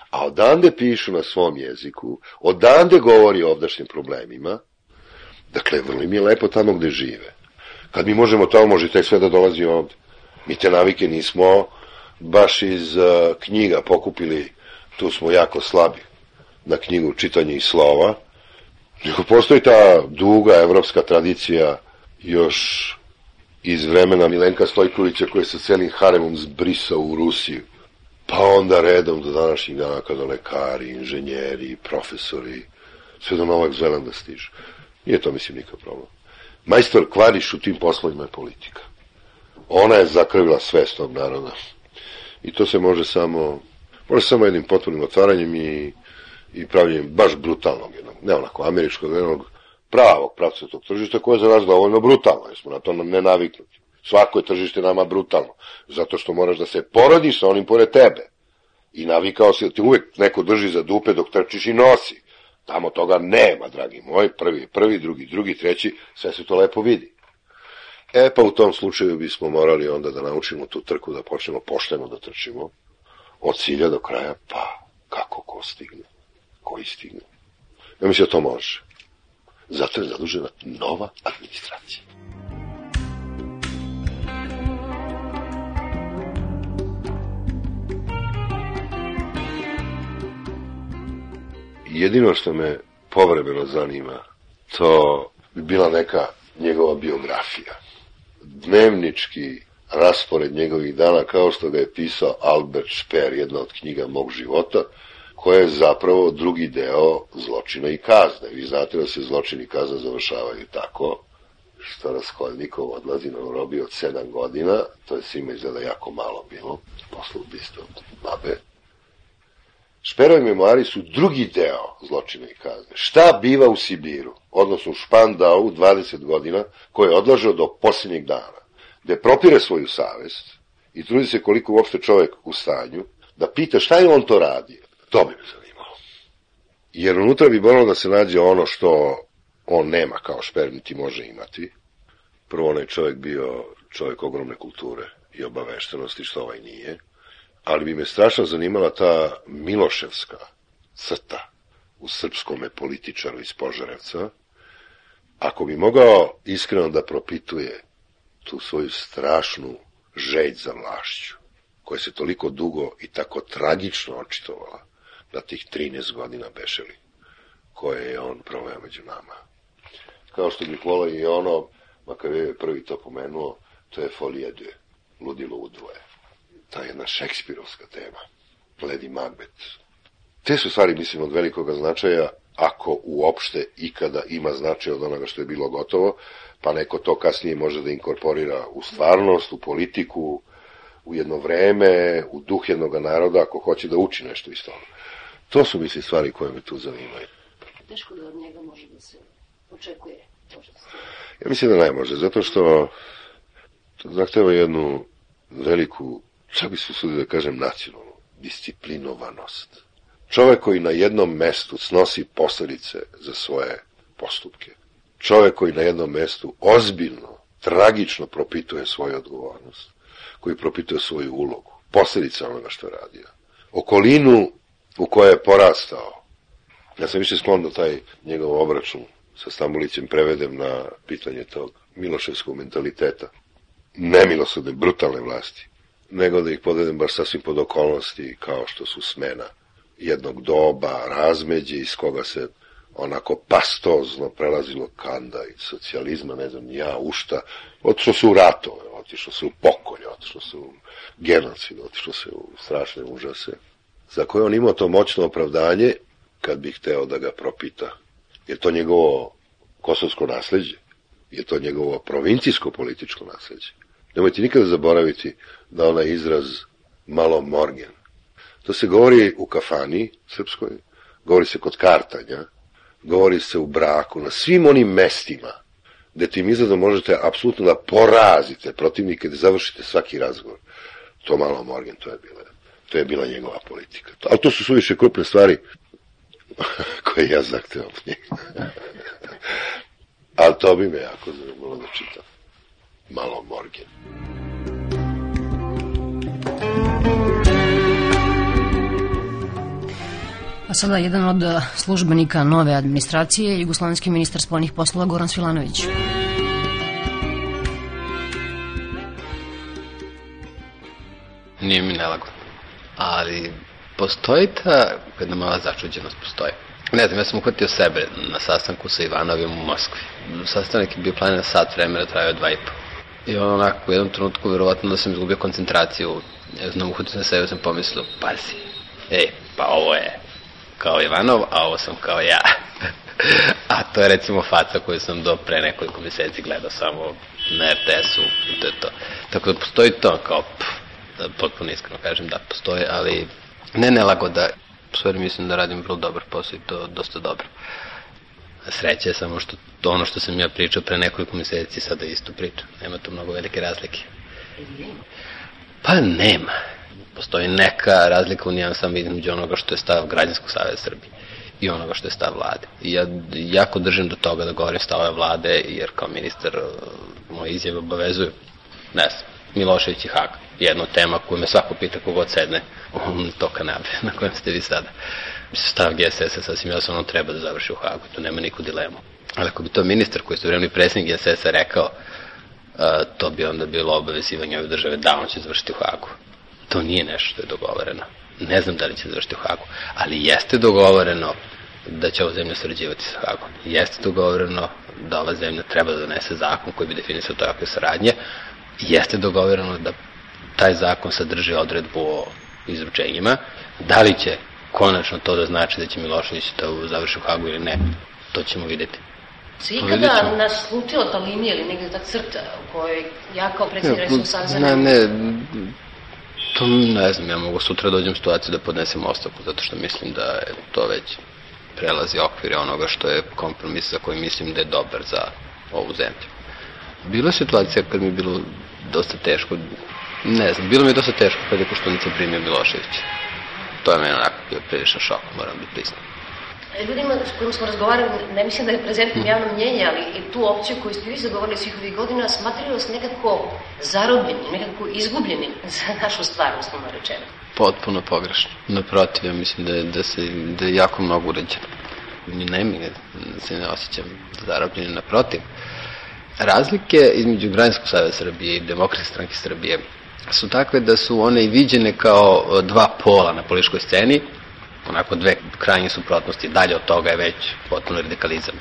a odande pišu na svom jeziku, odande govori o ovdašnjim problemima. Dakle, vrlo im je lepo tamo gde žive. Kad mi možemo tamo, može tek sve da dolazi ovde. Mi te navike nismo baš iz knjiga pokupili, tu smo jako slabi na knjigu čitanje i slova, nego postoji ta duga evropska tradicija još iz vremena Milenka Stojkovića, koji je sa celim haremom zbrisao u Rusiju. Pa onda redom do današnjih dana kada lekari, inženjeri, profesori, sve do Novog Zelanda stižu. Nije to, mislim, nikakav problem. Majstor Kvariš u tim poslovima je politika. Ona je zakrvila svest tog naroda. I to se može samo jednim potpunim otvaranjem i pravljenjem baš brutalnog jednog, ne onako američkog, jednog pravog pravcatog tržišta koje je za nas dovoljno brutalno, jer smo na to ne naviknuti. Svako je tržište nama brutalno, zato što moraš da se porodiš sa onim pored tebe. I navikao si da ti uvek neko drži za dupe dok trčiš i nosi. Tamo toga nema, dragi moj, prvi, drugi, treći, sve se to lepo vidi. Pa u tom slučaju bismo morali onda da naučimo tu trku, da počnemo pošteno da trčimo, od cilja do kraja, pa kako ko stigne, koji stigne. Ja mislim da to može. Zato je zadužena nova administracija. Jedino što me povremeno zanima, to bi bila neka njegova biografija. Dnevnički raspored njegovih dana, kao što ga je pisao Albert Speer, jedna od knjiga mog života, koja je zapravo drugi deo zločina i kazne. Vi znate da se zločin i kazna završavaju tako, što Raskolnikov odlazi na robiju od 7 godina, to je svima izgleda jako malo bilo, posle ubistva od babe. Šperovi memoari su drugi deo zločina i kazne. Šta biva u Sibiru, odnosno u Špandau 20 godina, koje je odlažao do posljednjeg dana, gde propire svoju savest i trudi se koliko uopšte čovek u stanju, da pita šta je on to radio. To bi me zanimalo. Jer unutra bi moralo da se nađe ono što on nema kao Šper, niti može imati. Prvo, onaj čovek bio čovek ogromne kulture i obaveštenosti, što ovaj nije. Ali bi me strašno zanimala ta miloševska crta u srpskome političaru iz Požarevca. Ako bi mogao iskreno da propituje tu svoju strašnu želj za vlašću, koja se toliko dugo i tako tragično očitovala na tih 13 godina bešeli, koje je on proveo među nama. Kao što bih volao i ono, makar je prvi to pomenuo, to je Folie de, ludilo u dvoje. Ta jedna šekspirovska tema, Lady Macbeth. Te su stvari, mislim, od velikoga značaja, ako uopšte ikada ima značaj od onoga što je bilo gotovo, pa neko to kasnije može da inkorporira u stvarnost, u politiku, u jedno vreme, u duh jednog naroda, ako hoće da uči nešto iz toga. To su, mislim, stvari koje me tu zanimaju. Teško da od njega može da se očekuje. Ja mislim da ne može, zato što to zahteva jednu veliku, čak bi se usudio da kažem, nacionalnu disciplinovanost. Čovek koji na jednom mestu snosi posledice za svoje postupke. Čovek koji na jednom mestu ozbiljno, tragično propituje svoju odgovornost, koji propituje svoju ulogu, posledice onoga što je radio. Okolinu u kojoj je porastao. Ja sam više sklon da taj njegov obračun sa Stambulićem prevedem na pitanje tog miloševskog mentaliteta, nemilosrdne, brutalne vlasti, nego da ih podvedem baš sasvim pod okolnosti kao što su smena jednog doba, razmeđe iz koga se onako pastozno prelazilo kanda i socijalizma, ne znam, ja u šta, otišlo se u ratove, otišlo se u pokolje, otišlo se u genocid, otišlo se u strašne užase, za koje on imao to moćno opravdanje kad bi hteo da ga propita. Je to njegovo kosovsko nasleđe? Je to njegovo provincijsko političko nasleđe? Nemojte nikada zaboraviti da onaj izraz malo morgen. To se govori u kafani srpskoj, govori se kod kartanja, govori se u braku, na svim onim mestima gde tim izradom možete apsolutno da porazite protivnike, da završite svaki razgovor. To malo morgen, to je bila njegova politika. Ali to su suviše krupne stvari koje ja zahtevam od njega. Ali to bi me jako zanimalo da čitam. Malo morgen. A sada jedan od službenika nove administracije, jugoslovenski ministar spoljnih poslova Goran Svilanović. Nije mi nelagodno, ali postoji ta jedna mala začuđenost, postoji. Ne znam, ja sam uhvatio sebe na sastanku sa Ivanovim u Moskvi. Sastanak je bio planiran sat vremena, trajao 2,5. I onako, u jednom trenutku, verovatno da sam izgubio koncentraciju. Ja znam, uhvatio sam sebe, sam pomislio, pazi, pa ovo je kao Ivanov, a ovo sam kao ja. A to je recimo faca koju sam do pre nekoliko meseci gledao samo na RTS-u i to je to. Tako da postoji to kao, da potpuno iskreno kažem, da postoji, ali ne nelagoda. U stvari mislim da radim vrlo dobar posao i to dosta dobro. Sreća je samo što ono što sam ja pričao pre nekoliko meseci sada isto pričam. Nema tu mnogo velike razlike. Pa nema. Postoji neka razlika u nijansama između onoga što je stav Građanskog saveza Srbije i onoga što je stav vlade. I ja jako držim do toga da govorim stavove vlade, jer kao ministar moje izjave obavezuju. Ne znam, Milošević i Hag. Jedna tema koju me svako pita kogod sedne u to kanabe na kojem ste vi sada. Stav GSS-a sasvim jasno, ono treba da završi u Hagu, tu nema niku dilemu. Ali ako bi to ministar koji je istovremeno predsjednik GSS-a rekao, to bi onda bilo obavezivanje ove države da on će završiti u Hagu. To nije nešto što je dogovoreno. Ne znam da li će završiti u Hagu, ali jeste dogovoreno da će ova zemlja sarađivati sa Hagom. Jeste dogovoreno da ova zemlja treba da donese zakon koji bi definisao takve saradnje. Jeste dogovoreno da taj zakon sadrži odredbu o izručenjima. Da li će konačno to da znači da će Milošević da završi u Hagu ili ne, to ćemo vidjeti. Se ikada nas slutila ta linija ili negdje ta crta u kojoj ja kao predsjednik Resnog saveza... To ne znam, ja mogu sutra dođem u situaciju da podnesem ostavku, zato što mislim da je to već prelazi okvire onoga što je kompromis za koji mislim da je dobar za ovu zemlju. Bila je situacija kad mi je bilo dosta teško, ne znam, bilo mi je dosta teško kad je Koštunica primio Miloševića. To je meni onako bio priličan šok, moram da priznam. Ljudima s kojim smo razgovarali, ne mislim da je prezentno javno mnjenje, ali i tu opciju koju ste vi zagovorili svih ovih godina, smatraju vas nekako zarobljenim, nekako izgubljenim za našu stvar, uslovno rečeno. Potpuno pogrešno. Naprotiv, ja mislim da je jako mnogo urađeno. Ne se ne osjećam zarobljenim, naprotiv. Razlike između Građanskog saveza Srbije i Demokratske stranke Srbije su takve da su one i viđene kao dva pola na političkoj sceni, onako dve krajnje suprotnosti, dalje od toga je već potpuno radikalizam.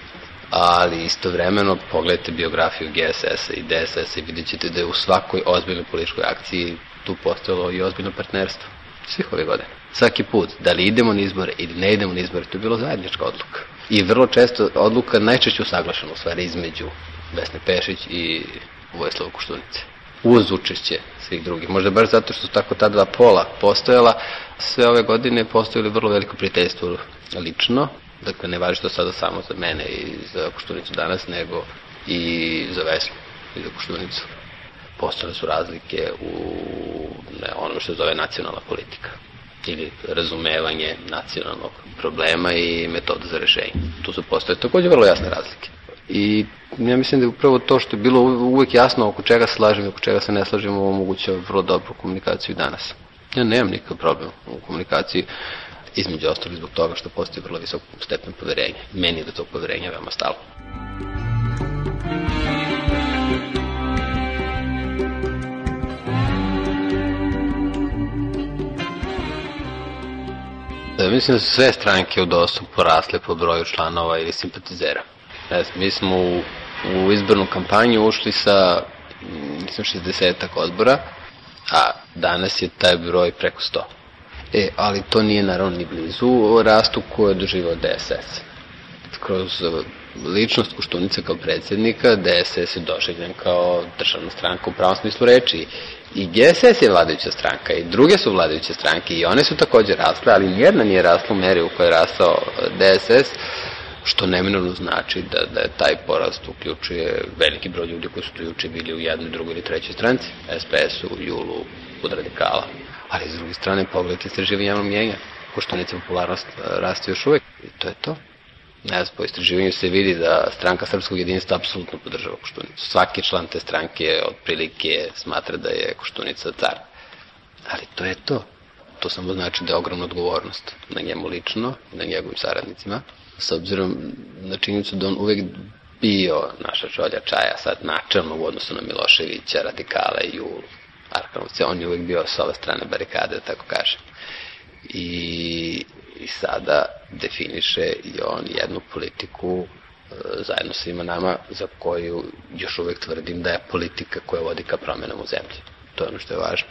Ali istovremeno pogledajte biografiju GSS-a i DSS-a i vidjet ćete da je u svakoj ozbiljnoj političkoj akciji tu postojalo i ozbiljno partnerstvo. Svih ove godine. Svaki put, da li idemo na izbore ili ne idemo na izbore, to je bilo zajednička odluka. I vrlo često odluka najčešće usaglašena u stvari između Vesne Pešić i Vojislava Koštunice. Uz učešće svih drugih. Možda baš zato što su tako ta dva pola postojala, sve ove godine postojali vrlo veliko prijateljstvo lično. Dakle, ne važi to sada samo za mene i za Koštunicu danas, nego i za Vesnu i za Koštunicu. Postojale su razlike u ono što se zove nacionalna politika ili razumevanje nacionalnog problema i metoda za rešenje. Tu su postoje također vrlo jasne razlike. I ja mislim da je upravo to što je bilo uvek jasno oko čega se slažem i oko čega se ne slažem omogućava vrlo dobru komunikaciju danas. Ja nemam nikakav problem u komunikaciji, između ostalih zbog toga što postoji vrlo visok stepen poverenja. Meni je da tog poverenja veoma stalo. Mislim da su sve stranke u DOS-u porasle po broju članova ili simpatizera. Mi smo u izbornu kampanju ušli sa 60-ak odbora, a danas je taj broj preko 100. Ali to nije naravno ni blizu rastu koje je doživao DSS. Kroz ličnost Koštunice kao predsjednika, DSS je doživljen kao državna stranka u pravom smislu reči. I GSS je vladajuća stranka i druge su vladajuće stranke i one su također rasle, ali nijedna nije rasla u meri u kojoj je rastao DSS, što neminovno znači da je taj porast uključuje veliki broj ljudi koji su tu juče bili u jednoj, drugoj ili trećoj stranci, SPS-u, JUL-u, kod radikala. Ali s druge strane, pogledajte istraživanje javnog mnjenja, Koštunica popularnost raste još uvek i to je to. Po istraživanju se vidi da stranka Srpskog jedinstva apsolutno podržava Koštunicu. Svaki član te stranke otprilike smatra da je Koštunica car. Ali to je to. To samo znači da je ogromna odgovornost na njemu lično i na njegovim saradnicima. S obzirom na činjenicu da on uvek bio naša čolja čaja, sad načelno u odnosu na Miloševića, radikale i u Arkanovce, on je uvek bio sa ove strane barikade, da tako kažem. I sada definiše i on jednu politiku zajedno sa svima nama za koju još uvek tvrdim da je politika koja vodi ka promenama u zemlji. To je ono što je važno.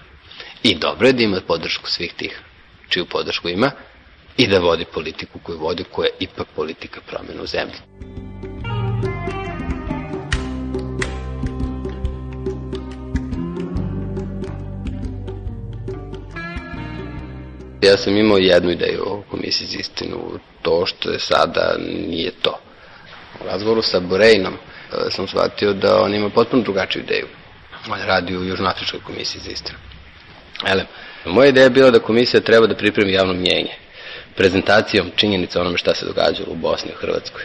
I dobro je da ima podršku svih tih čiju podršku ima i da vodi politiku koju vodi, koja je ipak politika promena u zemlji. Ja sam imao jednu ideju o Komisiji za istinu, to što je sada nije to. U razgovoru sa Borejnom sam shvatio da on ima potpuno drugačiju ideju. On radi u Južnoafričkoj komisiji za istinu. Moja ideja je bila da komisija treba da pripremi javno mnjenje, prezentacijom činjenica onome šta se događalo u Bosni i u Hrvatskoj,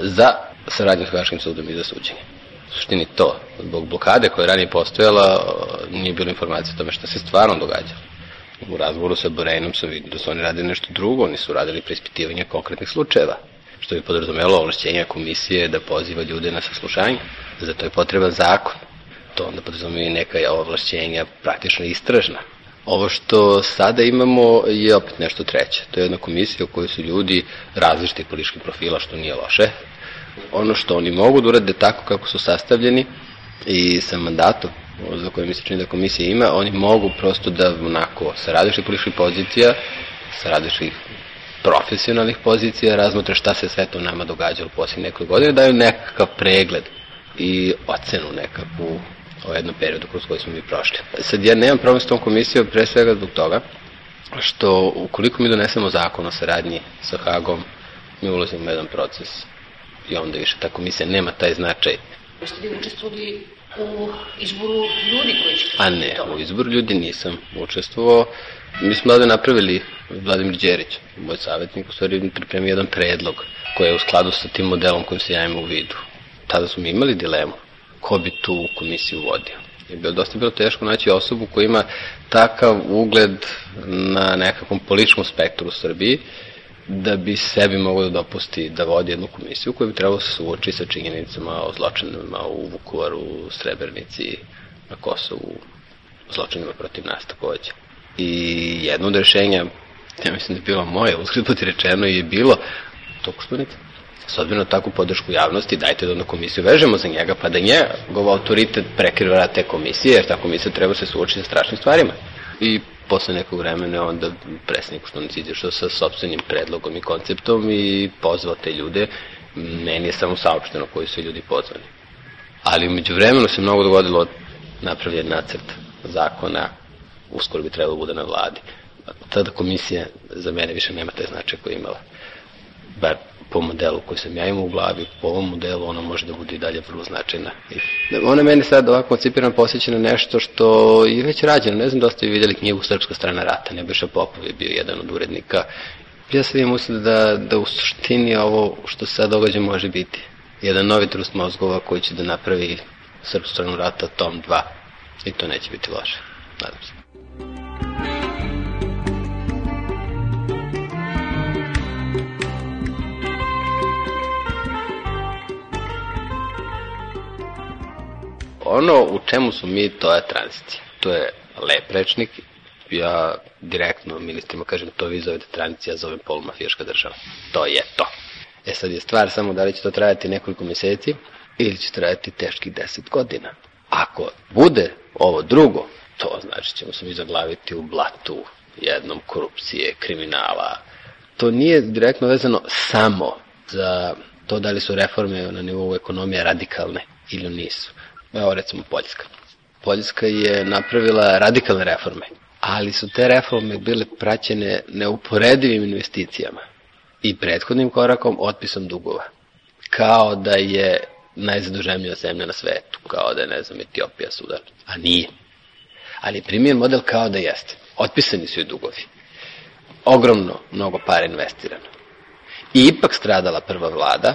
za saradnju s Haškim sudom i za suđenje. U suštini to, zbog blokade koja je ranije postojala, nije bilo informacije o tome šta se stvarno događalo. U razgovoru sa Borejnom sam vidio da su oni radili nešto drugo, oni su radili preispitivanje konkretnih slučajeva, što bi podrazumelo ovlašćenja komisije da poziva ljude na saslušanje. Za to je potreban zakon. To onda podrazumeva i neka ovlašćenja praktično istražna. Ovo što sada imamo je opet nešto treće. To je jedna komisija u kojoj su ljudi različitih političkih profila, što nije loše. Ono što oni mogu da urade tako kako su sastavljeni i sa mandatom za koje mi se čini da komisija ima, oni mogu prosto da onako sa različitih političkih pozicija, sa različitih profesionalnih pozicija, razmotre šta se sve to nama događalo u posljednjih nekoliko godina, daju nekakav pregled i ocenu nekakvu o jednom periodu kroz koji smo mi prošli. Sad ja nemam problem s tom komisijom pre svega zbog toga što ukoliko mi donesemo zakon o saradnji sa Hagom, mi ulazimo u jedan proces i onda više ta komisija nema taj značaj. Jeste li učestvovali u izboru ljudi koji će... A ne, u izboru ljudi nisam učestvovao. Mi smo ovdje napravili, Vladimir Đerić, moj savjetnik, u stvari pripremio jedan predlog koji je u skladu sa tim modelom kojim se ja imam u vidu. Tada smo imali dilemu ko bi tu komisiju vodio. Je dosta bilo teško naći osobu koja ima takav ugled na nekakvom političkom spektru u Srbiji da bi sebi mogao da dopusti da vodi jednu komisiju koja bi trebalo se suoči sa činjenicama o zločinima u Vukovaru, u Srebrenici, na Kosovu, zločinima protiv nas takođe. I jedno od rešenja, ja mislim da je bilo moje, uskrat put rečeno je bilo to Koštunica. S obzirom na takvu podršku javnosti, dajte da na komisiju vežemo za njega, pa da njegov autoritet prekriva te komisije, jer ta komisija treba se suočiti sa strašnim stvarima. I posle nekog vremena onda predsjednik Koštunica izašao sa sopstvenim predlogom i konceptom i pozvao te ljude. Meni je samo saopšteno koji su ljudi pozvani. Ali umeđu vremenu se mnogo dogodilo, napravljen nacrt zakona, uskoro bi trebalo bude na vladi. Tada komisija za mene više nema taj značaj koji je imala. Bar po modelu koji sam ja imao u glavi, po ovom modelu ona može da bude i dalje vrlo značajna. Ona meni sad ovako koncipirano posjeća na nešto što je već rađeno. Ne znam da ste vi vidjeli knjigu Srpska strana rata, Nebojša Popov je bio jedan od urednika. Ja sam im usled da u suštini ovo što se sad događa može biti jedan novi trust mozgova koji će da napravi Srpsku stranu rata tom 2. I to neće biti loše. Nadam se. Ono u čemu smo mi, to je tranzicija. To je lep rečnik. Ja direktno ministrima kažem, to vi zovete tranzicija, zovem polumafijaška država. To je to. Sad je stvar samo da li će to trajati nekoliko mjeseci ili će trajati teških 10 godina. Ako bude ovo drugo, to znači ćemo se mi zaglaviti u blatu jednom korupcije, kriminala. To nije direktno vezano samo za to da li su reforme na nivou ekonomije radikalne ili nisu. Evo recimo Poljska. Poljska je napravila radikalne reforme, ali su te reforme bile praćene neuporedivim investicijama i prethodnim korakom otpisom dugova. Kao da je najzaduženija zemlja na svetu, kao da je, ne znam, Etiopija, Sudan, a nije. Ali je primjer model kao da jeste. Otpisani su i dugovi. Ogromno, mnogo para investirano. I ipak stradala prva vlada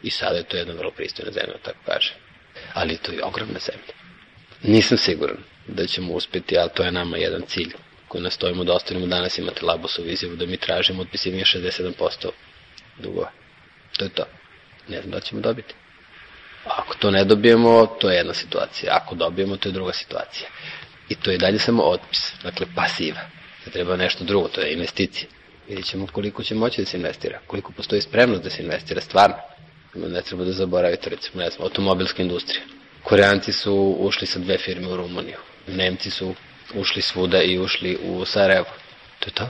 i sada je to jedna vrlo pristojna zemlja, tako kaže. Ali to je ogromna zemlja. Nisam siguran da ćemo uspjeti, ali to je nama jedan cilj koji nastojimo da ostavimo. Danas imate Labosovu izjavu da mi tražimo otpisivanje 67% dugova. To je to. Ne znam da ćemo dobiti. Ako to ne dobijemo, to je jedna situacija. Ako dobijemo, to je druga situacija. I to je dalje samo otpis, dakle pasiva. Da treba nešto drugo, to je investicija. Vidjet ćemo koliko će moći da se investira, koliko postoji spremnost da se investira stvarno. Ne treba da zaboravite, recimo, ne znam, automobilska industrija. Koreanci su ušli sa 2 firme u Rumuniju. Nemci su ušli svuda i ušli u Sarajevo. To je to.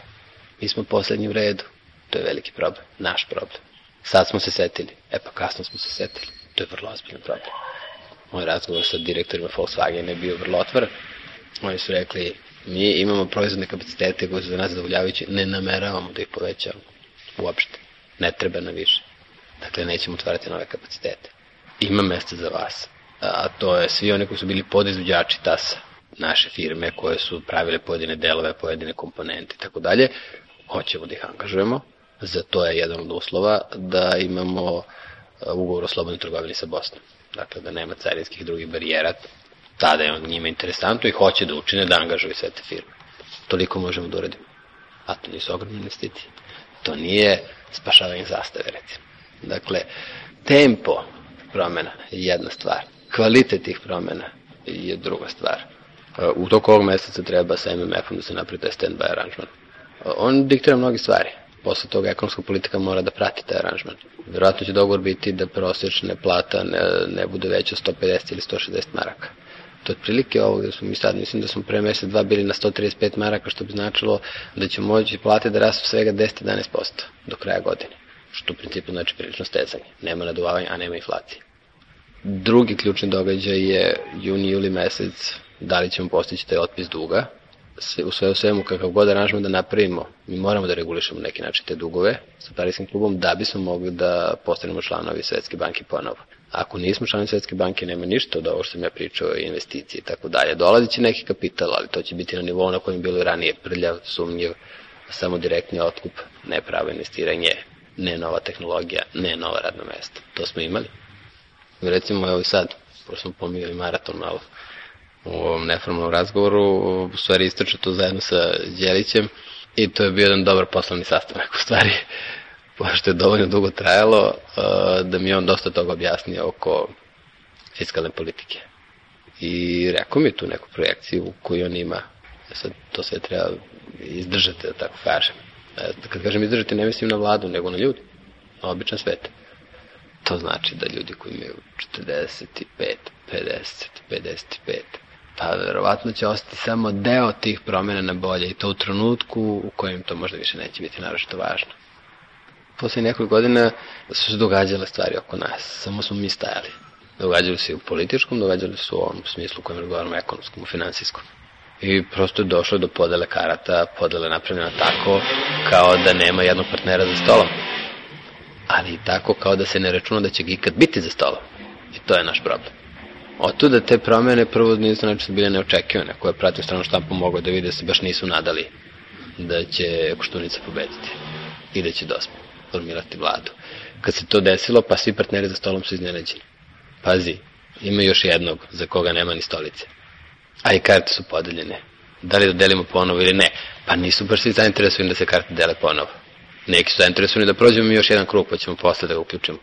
Mi smo poslednji u redu. To je veliki problem, naš problem. Sad smo se setili. Pa kasno smo se setili. To je vrlo ozbiljan problem. Moj razgovor sa direktorima Volkswagena je bio vrlo otvoren. Oni su rekli, mi imamo proizvodne kapacitete koji su za nas zadovoljavajući, ne nameravamo da ih povećavamo. Uopšte. Ne treba na više. Dakle, nećemo otvarati nove kapacitete. Ima mesta za vas. A to je svi oni koji su bili podizvođači TAS-a, naše firme koje su pravile pojedine delove, pojedine komponente i tako dalje. Hoćemo da ih angažujemo. Za to je jedan od uslova da imamo ugovor o slobodnoj trgovini sa Bosnom. Dakle, da nema carinskih drugih barijera. Tada je on njima interesantno i hoće da učine da angažuju sve te firme. Toliko možemo da uradimo. A to nisu ogromne investicije. To nije spašavanje zastave, recimo. Dakle, tempo promjena je jedna stvar. Kvalitet tih promjena je druga stvar. U toku ovog meseca treba sa MMF-om da se napravi taj stand-by aranžman. On diktira mnogi stvari. Posle toga ekonomska politika mora da prati taj aranžman. Vjerojatno će dogovor biti da prosječna plata ne bude veća 150 ili 160 maraka. To je otprilike ovo gde smo mi sad, mislim da smo pre mesec dva bili na 135 maraka, što bi značilo da će moći plate da rastu svega 10-11% do kraja godine, što u principu znači prilično stezanje. Nema naduvavanja, a nema inflacije. Drugi ključni događaj je juni-juli mesec, da li ćemo postići taj otpis duga. U sve u svemu, kakav god aranžman da napravimo, mi moramo da regulišemo neki način te dugove sa Pariskim klubom da bismo mogli da postanemo članovi Svetske banke ponovo. Ako nismo članovi Svetske banke, nema ništa od ovo što sam ja pričao, investicije i tako dalje. Dolazit će neki kapital, ali to će biti na nivou na kojem je bilo ranije prljav, sumnjiv, samo direktni otkup, ne pravo investiranje, ne nova tehnologija, ne nova radna mesta. To smo imali. Recimo, evo i sad, pošto smo pominjali maraton malo, u ovom neformalnom razgovoru, u stvari istračao to zajedno sa Đelićem i to je bio jedan dobar poslovni sastanak u stvari, pošto je dovoljno dugo trajalo da mi je on dosta toga objasnio oko fiskalne politike. I rekao mi tu neku projekciju koju on ima. Sad to sve treba izdržati, da tako kažem. Kad kažem izdržati, ne mislim na vladu, nego na ljudi, na običan svet. To znači da ljudi koji imaju 45, 50, 55, pa verovatno će ostati samo deo tih promjena na bolje i to u trenutku u kojem to možda više neće biti naročito važno. Posle nekoliko godina su se događale stvari oko nas, samo smo mi stajali. Događali se u političkom, događali su u ovom smislu u kojem razgovaramo, ekonomskom, u finansijskom. I prosto je došlo do podele karata, podele napravljena tako kao da nema jednog partnera za stolom. Ali i tako kao da se ne računa da će ga ikad biti za stolom. I to je naš problem. Otuda te promjene prvo nisu znači bile neočekivane, koje pratim stranu štampu mogu da vide da se baš nisu nadali da će Koštunica pobediti i da će DOS formirati vladu. Kad se to desilo, pa svi partneri za stolom su iznenađeni. Pazi, ima još jednog za koga nema ni stolice. A i karte su podeljene. Da li da delimo ponovo ili ne? Pa nisu baš svi zainteresovani da se karte dele ponovo. Neki su zainteresovani da prođemo još jedan krug, pa ćemo posle da ga uključimo.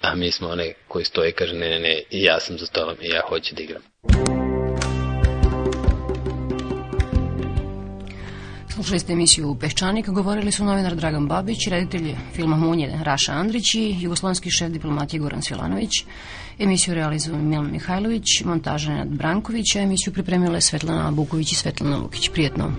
A mi smo onaj koji stoji i kaže ne, i ja sam za stolom i ja hoću da igram. Slušali ste emisiju Peščanik, govorili su novinar Dragan Babić, reditelj filma Munje Raša Andrić i jugoslovenski šef diplomatije Goran Svilanović. Emisiju realizuju Milan Mihajlović, montaža Nenad Branković, a emisiju pripremile Svetlana Buković i Svetlana Lukić. Prijetno!